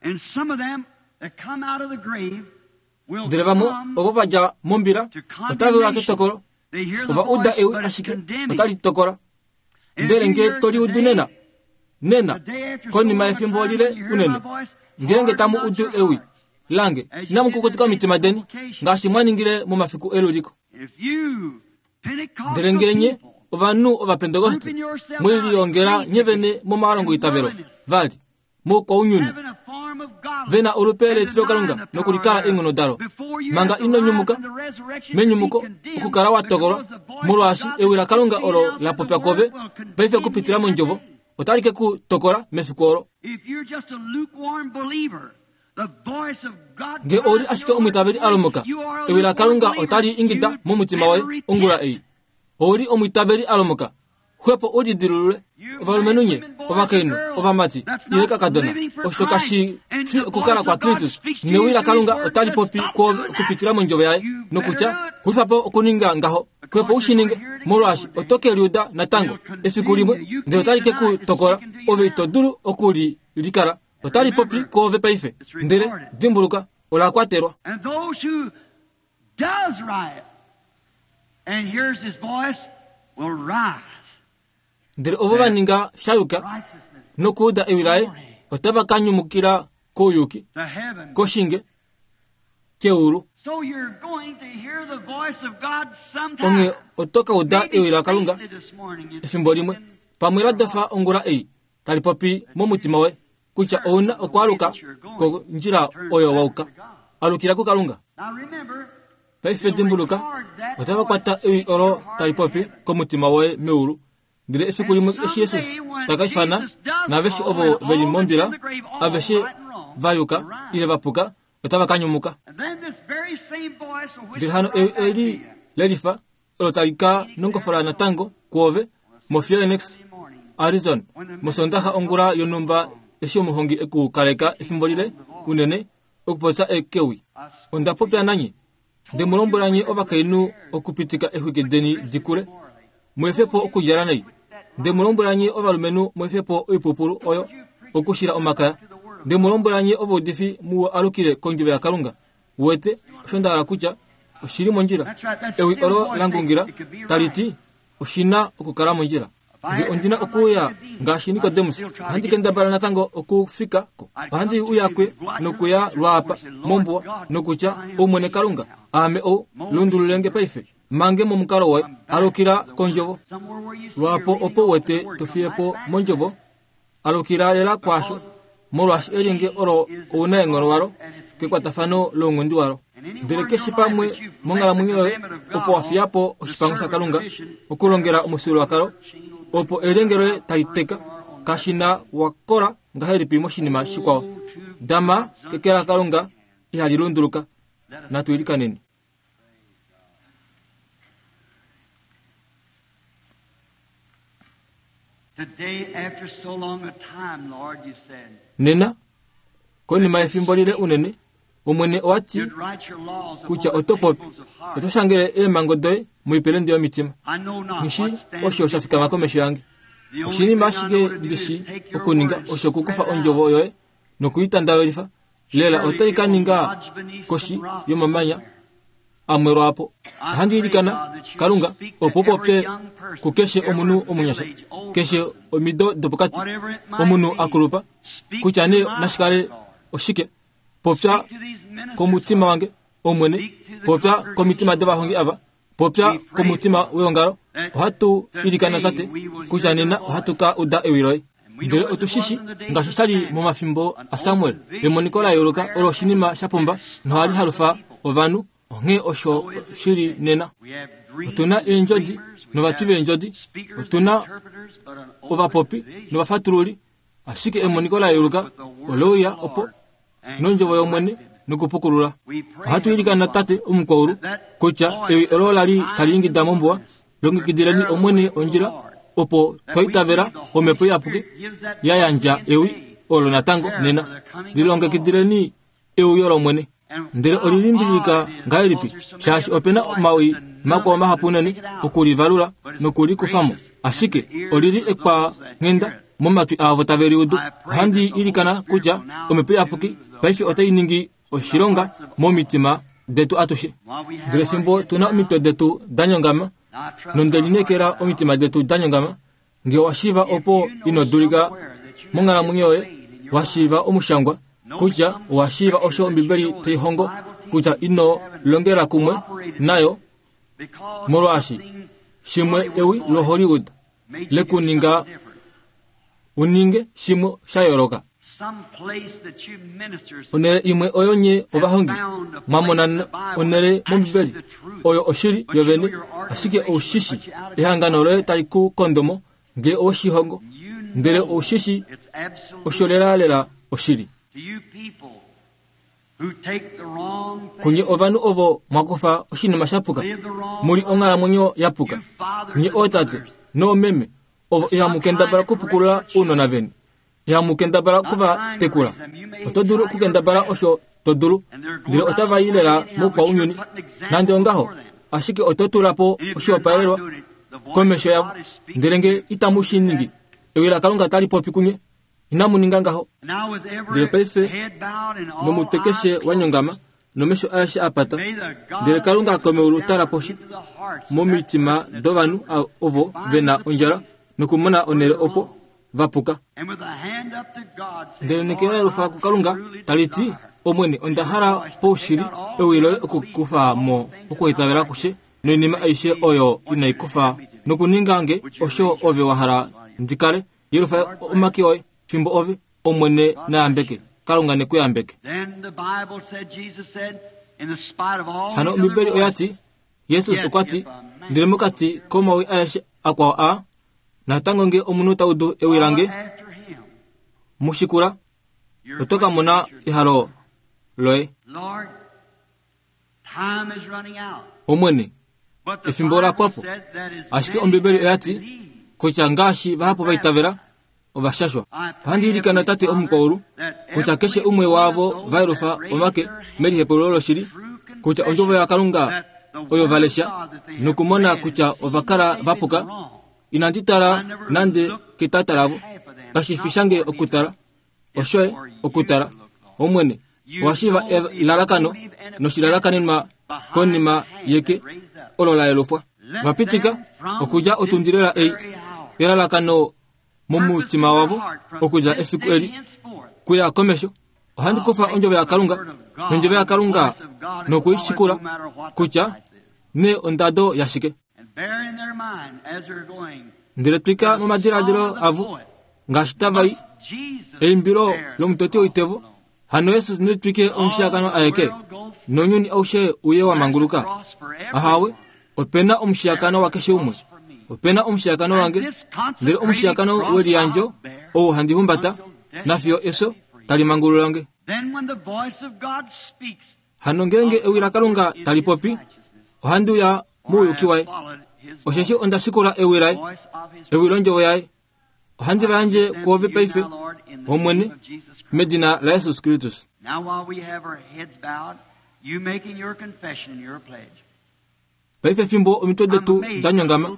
Ndele vamwe ovo va dja mombila otave uya ketokolo, ova uda ewi ashike otali tokola. Ndele nge to li udu nena, nena, konima yefimbo lile unene, ngeenge tamu udu ewi lange, inamu kukutika omitima deni, ngaashi mwa ningile momafiku eluliko. Ndele nge nye, ovanhu Ovapentekoste, mwe lilongela nye vene momalongoitavelo, vali, moukwaunyuni, ve na olupe letilokalunga nokulikala eenghono dalo, manga ino nyumuka menyumuko, okukala wa tokolwa, molwaashi ewi laKalunga olo la popya kove paife okupitila mondjovo otali ke ku tokola mefiku olo. Nge ou li ashike omwiitaveli a lomoka, ewi laKalunga otali ingida momutima woye ongula ei. Ou li omwiitaveli a lomoka, xwepo u lidilulule. Ovalumenhu nye, ovakainhu, ovamati, ile kakadona, osho kashi fi okukala kwaKristus. Newi laKalunga otali popi kwoove okupitila mondjovo yaye, nokutya, Xulifa po okuninga ngaho. Xwepo u shi ninge, molwaashi oto ke liuda natango efiku limwe, ndele otali ke ku tokola. Ove ito dulu oku li likala. Otali popi kwoove paife. Ndele, dimbuluka, ola kwatelwa. And those who does right and hears his voice will rise. Ndele ovo va ninga sha yuka Righteousness nokuuda ewi laye otava ka nyumukila kouyuki, to heaven. koshinge, keulu. So you're going to hear the voice of God sometime. Onghee oto ka uda Maybe ewi laKalunga faintly this morning. It's efimbo limwe, pamwe la dofa ongula ei, tali popi momutima woye kutya ou na okwaaluka kondjila oyo wa uka. Alukila kuKalunga. Now remember, Paife dimbuluka, otava kwata ewi olo tali popi komutima woye meulu. Ndele efiku limwe eshi Jesus ta ka ifana naaveshe ovo ve li mombila, aveshe va yuka ile va puka, otava ka nyumuka. and then this very same voice will Ndele whisper hano right ewi back to eli you. lelifa olo tali ka nongofola natango kwoove moPhoenix, Arizona, mosondaxa ongula yonhumba eshi omuhongi eku kaleka efimbo lile unene okupopya ekewi. Onda popya nanye, nde mu lombwela nye ovakainhu okupitika exwiki deni di kule, mu efe po okudjala nai. Nde mu lombwela nye ovalumenhu mu efe po oipupulu oyo okushila omakaya. Nde mu lombwela nye ovaudifi mu alukile kondjovo yaKalunga. Uwete osho nda hala kutya oshili mondjila. Ewi olo la ngungila tali ti oshi na okukala mondjila. Nge ondi na okuuya ngaashi Nikodemus, ohandi kendabala natango okufika ko. Ohandi uya kwe nokuya lwaapa mombuwa nokutya, Omwene Kalunga, aame ou, lundulule nge paife, mange momukalo woye, alukila kondjovo. Somewhere where you see Lwaapo you're reading opo off the wete word, to come fiye right po back mondjovo, alukila lela kwaasho, molwaashi elyenge olo ounaenghono walo kekwatafano lounghundi walo. Ndele keshe pamwe monghalamwenyo yoye opo wa fiya po oshipango shaKalunga okulongela omufyuululwakalo, opo elyenge loye tali teka, kashi na wa kola ngahelipi moshinima shikwao. Dama keke laKalunga ihali lunduluka. Natu ilikaneni. Today, after so long a time, Lord, you said, Nena, konima yefimbo lile unene, Omwene owa ti you'd write your laws upon kutya the oto popi, tables of heart. oto shangele eemhango doye moipelende yomitima. I know not Nghishi what stands osho sha fikama komesho yange. The only Oshinima thing I ashike know to do ndi is shi take your okuninga word and osho okukufa spread it ondjovo out. yoye nokuitandavelifa. Lela otai ka Surely it will ninga lodge beneath koshi some rock yomamanya somewhere. amwe lwaapo. Ohandi ilikana Kalunga opo u popye kukeshe omunhu omunyasha, keshe omido dopokati, Whatever it might omunhu be, a kulupa, speak kutya to nee my nashikale heart, Lord. oshike. Popya Speak to these ministers, komutima wange, Omwene, popya komitima dovahongi ava, popya komutima weongalo. Ohatu ilikana Tate kutya nena ohatu ka uda ewi loye. Ndele otu shi shi ngaashi sha li momafimbo aSamuel, emoniko la yooloka olo oshinima sha pumba nohali halufa ovanhu, onghee osho shi li nena. We have dreams Otu na and eendjodi dreamers, we novatwi have veendjodi, speakers otu and na interpreters, but an open ovapopi vision novafatululi, ashike emoniko la yooloka with the word ole uya of the opo Lord and nondjovo yOmwene corrected. nokupukulula. We pray, Ohatu ilikana Heavenly Tate omukwaulu kutya ewi olo la li tali ingida mombuwa, longekidileni Omwene ondjila opo twa itavela Omhepo Iyapuki ya yandja ewi olo natango nena. Lilongekidileni euyo lOmwene. Ndele olilimbilika ngahelipi, shaashi ope na omawi makwao mahapu unene okulivalula nokulikufamo, ashike olili ekwanghenda momatwi aavo tave liudu. Ohandi ilikana kutya Omhepo Iyapuki paife otai ningi oshilonga momitima detu atushe. While we have Ndele our fimbo heads tu na omitwe detu da nyongama, now, I trust nonde our lineekela hearts omitima detu da nyongama, nge wa shiiva If opo you know ino dulika somewhere that you have monghalamwenyo yoye, disobeyed in your wa life, shiiva omushangwa know kutya some owa shiiva osho scripture that you Ombibeli know tai that the hongo Bible kutya teaches ino you haven't longela kumwe cooperated nayo, with because molwaashi something shimwe Hollywood ewi voice loHollywood made you do lekuninga something different. uninge shimwe sha yooloka. Some place that you ministers Onhele imwe oyo nye have ovahongi found a mwa place mona in the Bible onhele that's mOmbibeli actually the truth. oyo oshili But you know yovene, your ashike organization will oushishi put you out of ehangano control. loye tali ku kondomo nge oweshihongo, You ndele know oushishi it's absolutely osho lelalela oshili. to you people who take the wrong Kunye thing, ovanhu ovo mwa kufa oshinima sha puka, live the wrong muli life, onghalamwenyo ya puka. you fathers Nye and ootate mothers, noomeme ovo ihamu stop trying kendabala to correct okupukulula your ounona children. veni, ihamu kendabala Not okuva trying to tekula. raise them. You may Oto dulu try your okukendabala best, osho to dulu, and they're ndele going out otava the i world lela anyhow, but you're moukwaunyuni. putting an Nande example ongaho, before them. Ashike oto tula po oshihopaelelwa komesho yavo. Ndele nge itamu shi ningi, ewi laKalunga tali popi kunye, inamu ninga ngaho. Ndele paife nomutwe keshe wa nyongama nomesho aeshe a pata, ndele Kalunga komeulu tala poshi momitima dovanhu ovo ve na ondjala nokumona onhele opo va puka. Ndele neke la yelufa kuKalunga tali ti, Omwene, onda hala paushili ewi loye okukufa mo okuitavela kushe noinima aishe oyo inai kufa nokuninga nge osho ove wa hala ndi kale. Yelufa omake oye fimbo ove, Omwene na yambeke. Kalunga ne ku yambeke. Hano Ombibeli oya ti, Jesus okwa ti, ndele mokati komawi aeshe akwao aa, Natango nge omunhu ta udu ewi lange, mu shikula, oto ka mona ehalo loye. Omwene, efimbo ola pwa po. Ashike Ombibeli oya ti kutya ngaashi vahapu va itavela, ova shashwa. Ohandi ilikana Tate Omukwaulu kutya keshe umwe waavo va yelufa omake melihepululo loshili kutya ondjovo yaKalunga oyo va lesha nokumona kutya ova kala va puka. Inandi tala nande ketata lavo. Kashi fi shange okutala, oshoye okutala. Omwene, owa shiiva elalakano noshilalakanenwa konima yeke olo la yelufwa. Va pitika okudja otundilela ei elalakano momutima wavo okudja efiku eli kuya komesho. Ohandi kufa ondjovo yaKalunga nondjovo yaKalunga noku i shikula kutya nee ondado yashike. Ndele twika momadiladilo avo ngaashi tava i eimbilo lomutoti woitevo hano Jesus ne twike omushiyakano aeke nounyuni aushe uye wa manguluka. Ahawe, ope na omushiyakano wakeshe umwe. Ope na omushiyakano wange, ndele omushiyakano weliyandjo ou handi humbata nafiyo efyo tali mangulula nge. Hano ngeenge ewi laKalunga tali popi, ohandi uya mouyuki waye, osheshi onda shikula ewi laye, ewi londjovo yaye. Ohandi va yandje kwoove paife, Omwene, medina laJesus Kristus. Paife fimbo omitwe detu da nyongama,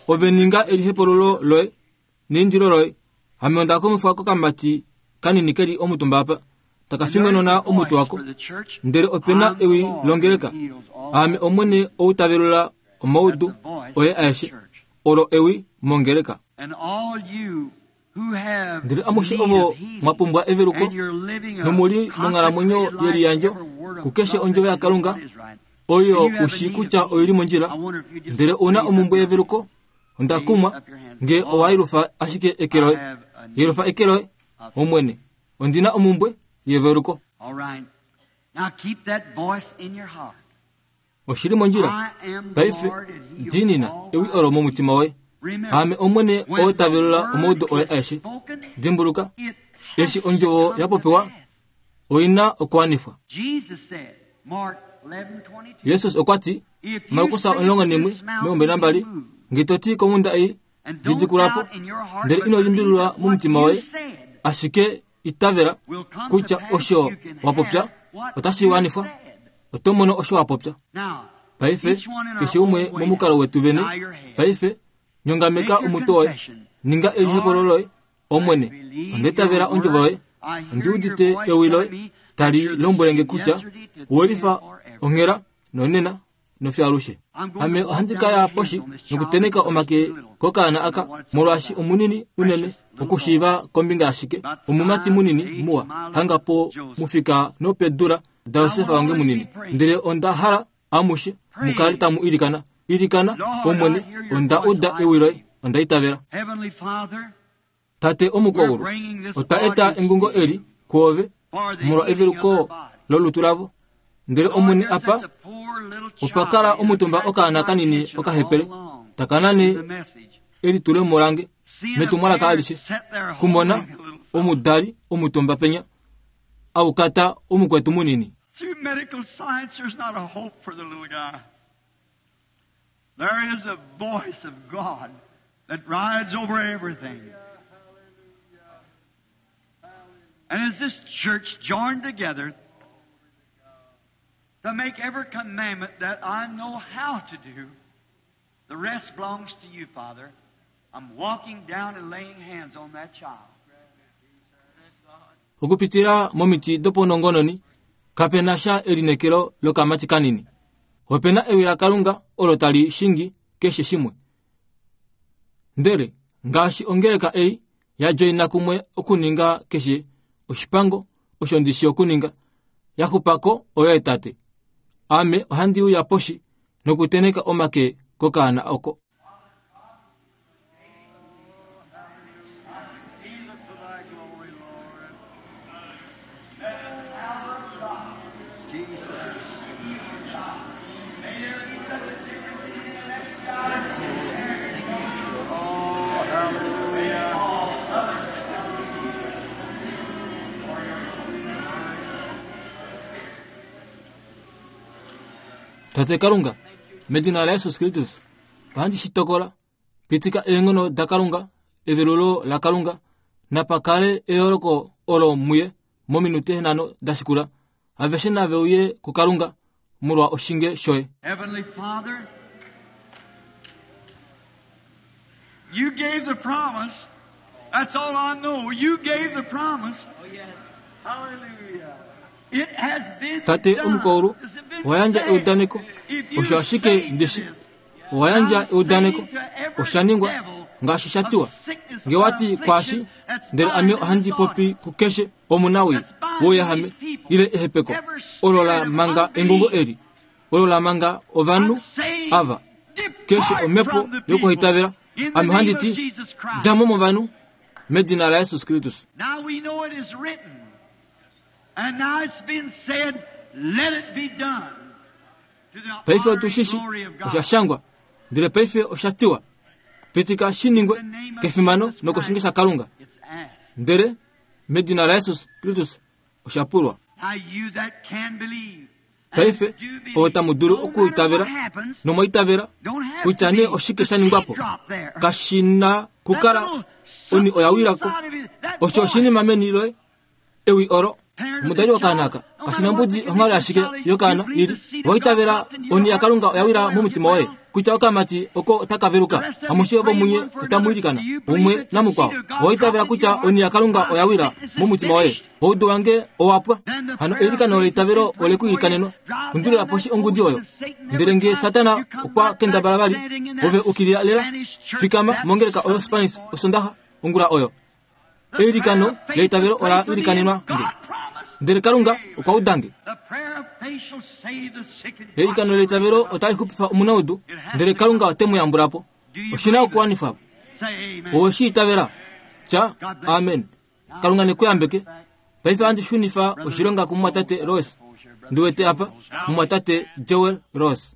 ove ninga elihepululo loye neindilo loye. Ame onda kumifwa kokamati kanini ke li omutumba apa, taka fingonona omutwe wako. Ndele ope na ewi longeleka, Aame Omwene ou ta velula omaudu oye aeshe. Olo ewi mongeleka. Ndele amushe ovo mwa pumbwa eveluko nomu li monghalamwenyo yeliyandjo kukeshe ondjovo yaKalunga oyo u shii kutya oi li mondjila, ndele u na omumbwe yeveluko, onda kumwa nge owa yelufa ashike eke loye. Yelufa eke loye, Omwene, ondi na omumbwe yeveluko. Oshi li mondjila. Paife, diinina ewi olo momutima woye. Aame Omwene oo ta velula omaudo oye aeshe. Dimbuluka, eshi ondjovo ya popiwa, oi na okuwanifwa. Jesus okwa ti, Markus 11:22, Nge to ti komhunda ei, Lidikula po, ndele ino limbililwa momutima woye, ashike itavela kutya osho wa popya otashi wanifwa, oto mono osho wa popya. Paife, keshe umwe momukalo wetu vene, paife, nyongameka omutwe woye, ninga elihepolo loye, Omwene, onda itavela ondjovo yoye. Ondi udite ewi loye tali lombwele nge kutya owe lifa onghela nonena nofiyo alushe. Ame ohandi ka ya poshi nokuteneka omake kokaana aka, molwaashi omunini unene okushiiva kombinga yashike, omumati munini muwa, hanga po mufika nopedula daJosef wange munini. Ndele onda hala amushe mu kale tamu ilikana. Ilikana, Omwene, onda uda ewi loye, onda itavela. Tate omukwaulu, otwa eta engungo eli kwoove molwa eveluko lolutu lavo. Ndele Omwene apa opa kala omutumba okaana kanini okahepele, taka nane elitulemo lange metumwalaka alishe, kumona omudali omutumba penya aukata omukwetu munini. Through medical science, there's not a hope for the little guy. There is a voice of God that rides over everything. And as this church joined together To make every commandment that I know how to do, the rest belongs to you, Father. I'm walking down and laying hands on that child. Okupitila momiti dopaunongononi, kape na sha elineekelo lokamati kanini. Ope na ewi laKalunga olo tali shingi keshe shimwe. Ndele ngaashi ongeleka ei ya djoina kumwe okuninga keshe oshipango osho ndi shi okuninga, ya xupa ko oyoye Tate. Ame ohandi uya poshi nokutenheka omake kokaana oko. Tate Kalunga, medina laJesus Kristus, ohandi shi tokola. Pitika eenghono daKalunga, evelulo laKalunga, napa kale eyooloko olo muye mominute nhano da shikula. Aveshe nave uye kuKalunga molwa oshinge shoye. Heavenly Father, you gave the promise. That's all I know. You gave the promise. Hallelujah. It has been Tate done. omukaulu, It's been owa yandja said. eudaneko. If you Osho ashike say ndishi. this, Owa yandja I'm eudaneko. saying to every Osha ningwa devil ngaashi sha of tiwa. sickness Nge wati or kwashi, affliction that's ndele ame bound in ohandi this popi audience. kukeshe omunawii wouyahame ile ehepeko olo la manga engungo eli olo la manga ovanhu I'm saying, ava keshe depart omhepo from the people yokuhitavela in the ame ohandi name of ti Jesus Christ. dja mo movanhu medina laJesus Kristus. Now we know it is written, and now it's been said, let it be done. To the Paife honor otu and shi shi glory of osha God. shangwa, ndele paife osha tiwa, pitika shi ningwe kefimano nokoshinge shaKalunga. It's asked. Ndele medina laJesus Kristus osha pulwa. Now you that can believe, and Paife do believe, ovo tamu dulu no matter okuitavela what happens, nomwaitavela don't have kutya to nee be oshike the sha ningwa po seed drop there. kashi na kukala That little oni oya something wilako inside of you, that osho voice. oshinima meni loye ewi olo omudali wokaana aka kashi na mbudi onghalo ashike yokaana ili owaitavela oni yaKalunga oya wila momutima woye kutya okamati oko otaka veluka amushe ovo munye otamu ilikana umwe namukwao owaitavela kutya oni yaKalunga oya wila momutima woye oudu wange owapwa hano eilikano leitavelo ole ku ilikanenwa undulila poshi ongudi oyo ndele nge Satana okwa kendabala vali ove ukilila lela fikama mongeleka oyo Spanish osondaxa ongula oyo eilikano leitavelo ola ilikanenwa nge ndele Kalunga okwa udange The prayer of faith shall save the sick and eilikano leitavelo otali xupifa omunaudu ndele Kalunga ote mu yambula po oshi na okuwanifwa po Say amen. owe shi itavela tya amen Kalunga ne ku yambeke paife ohandi shunifa oshilonga kumumwatate Rose ndi wete apa mumwatate Joel Rose.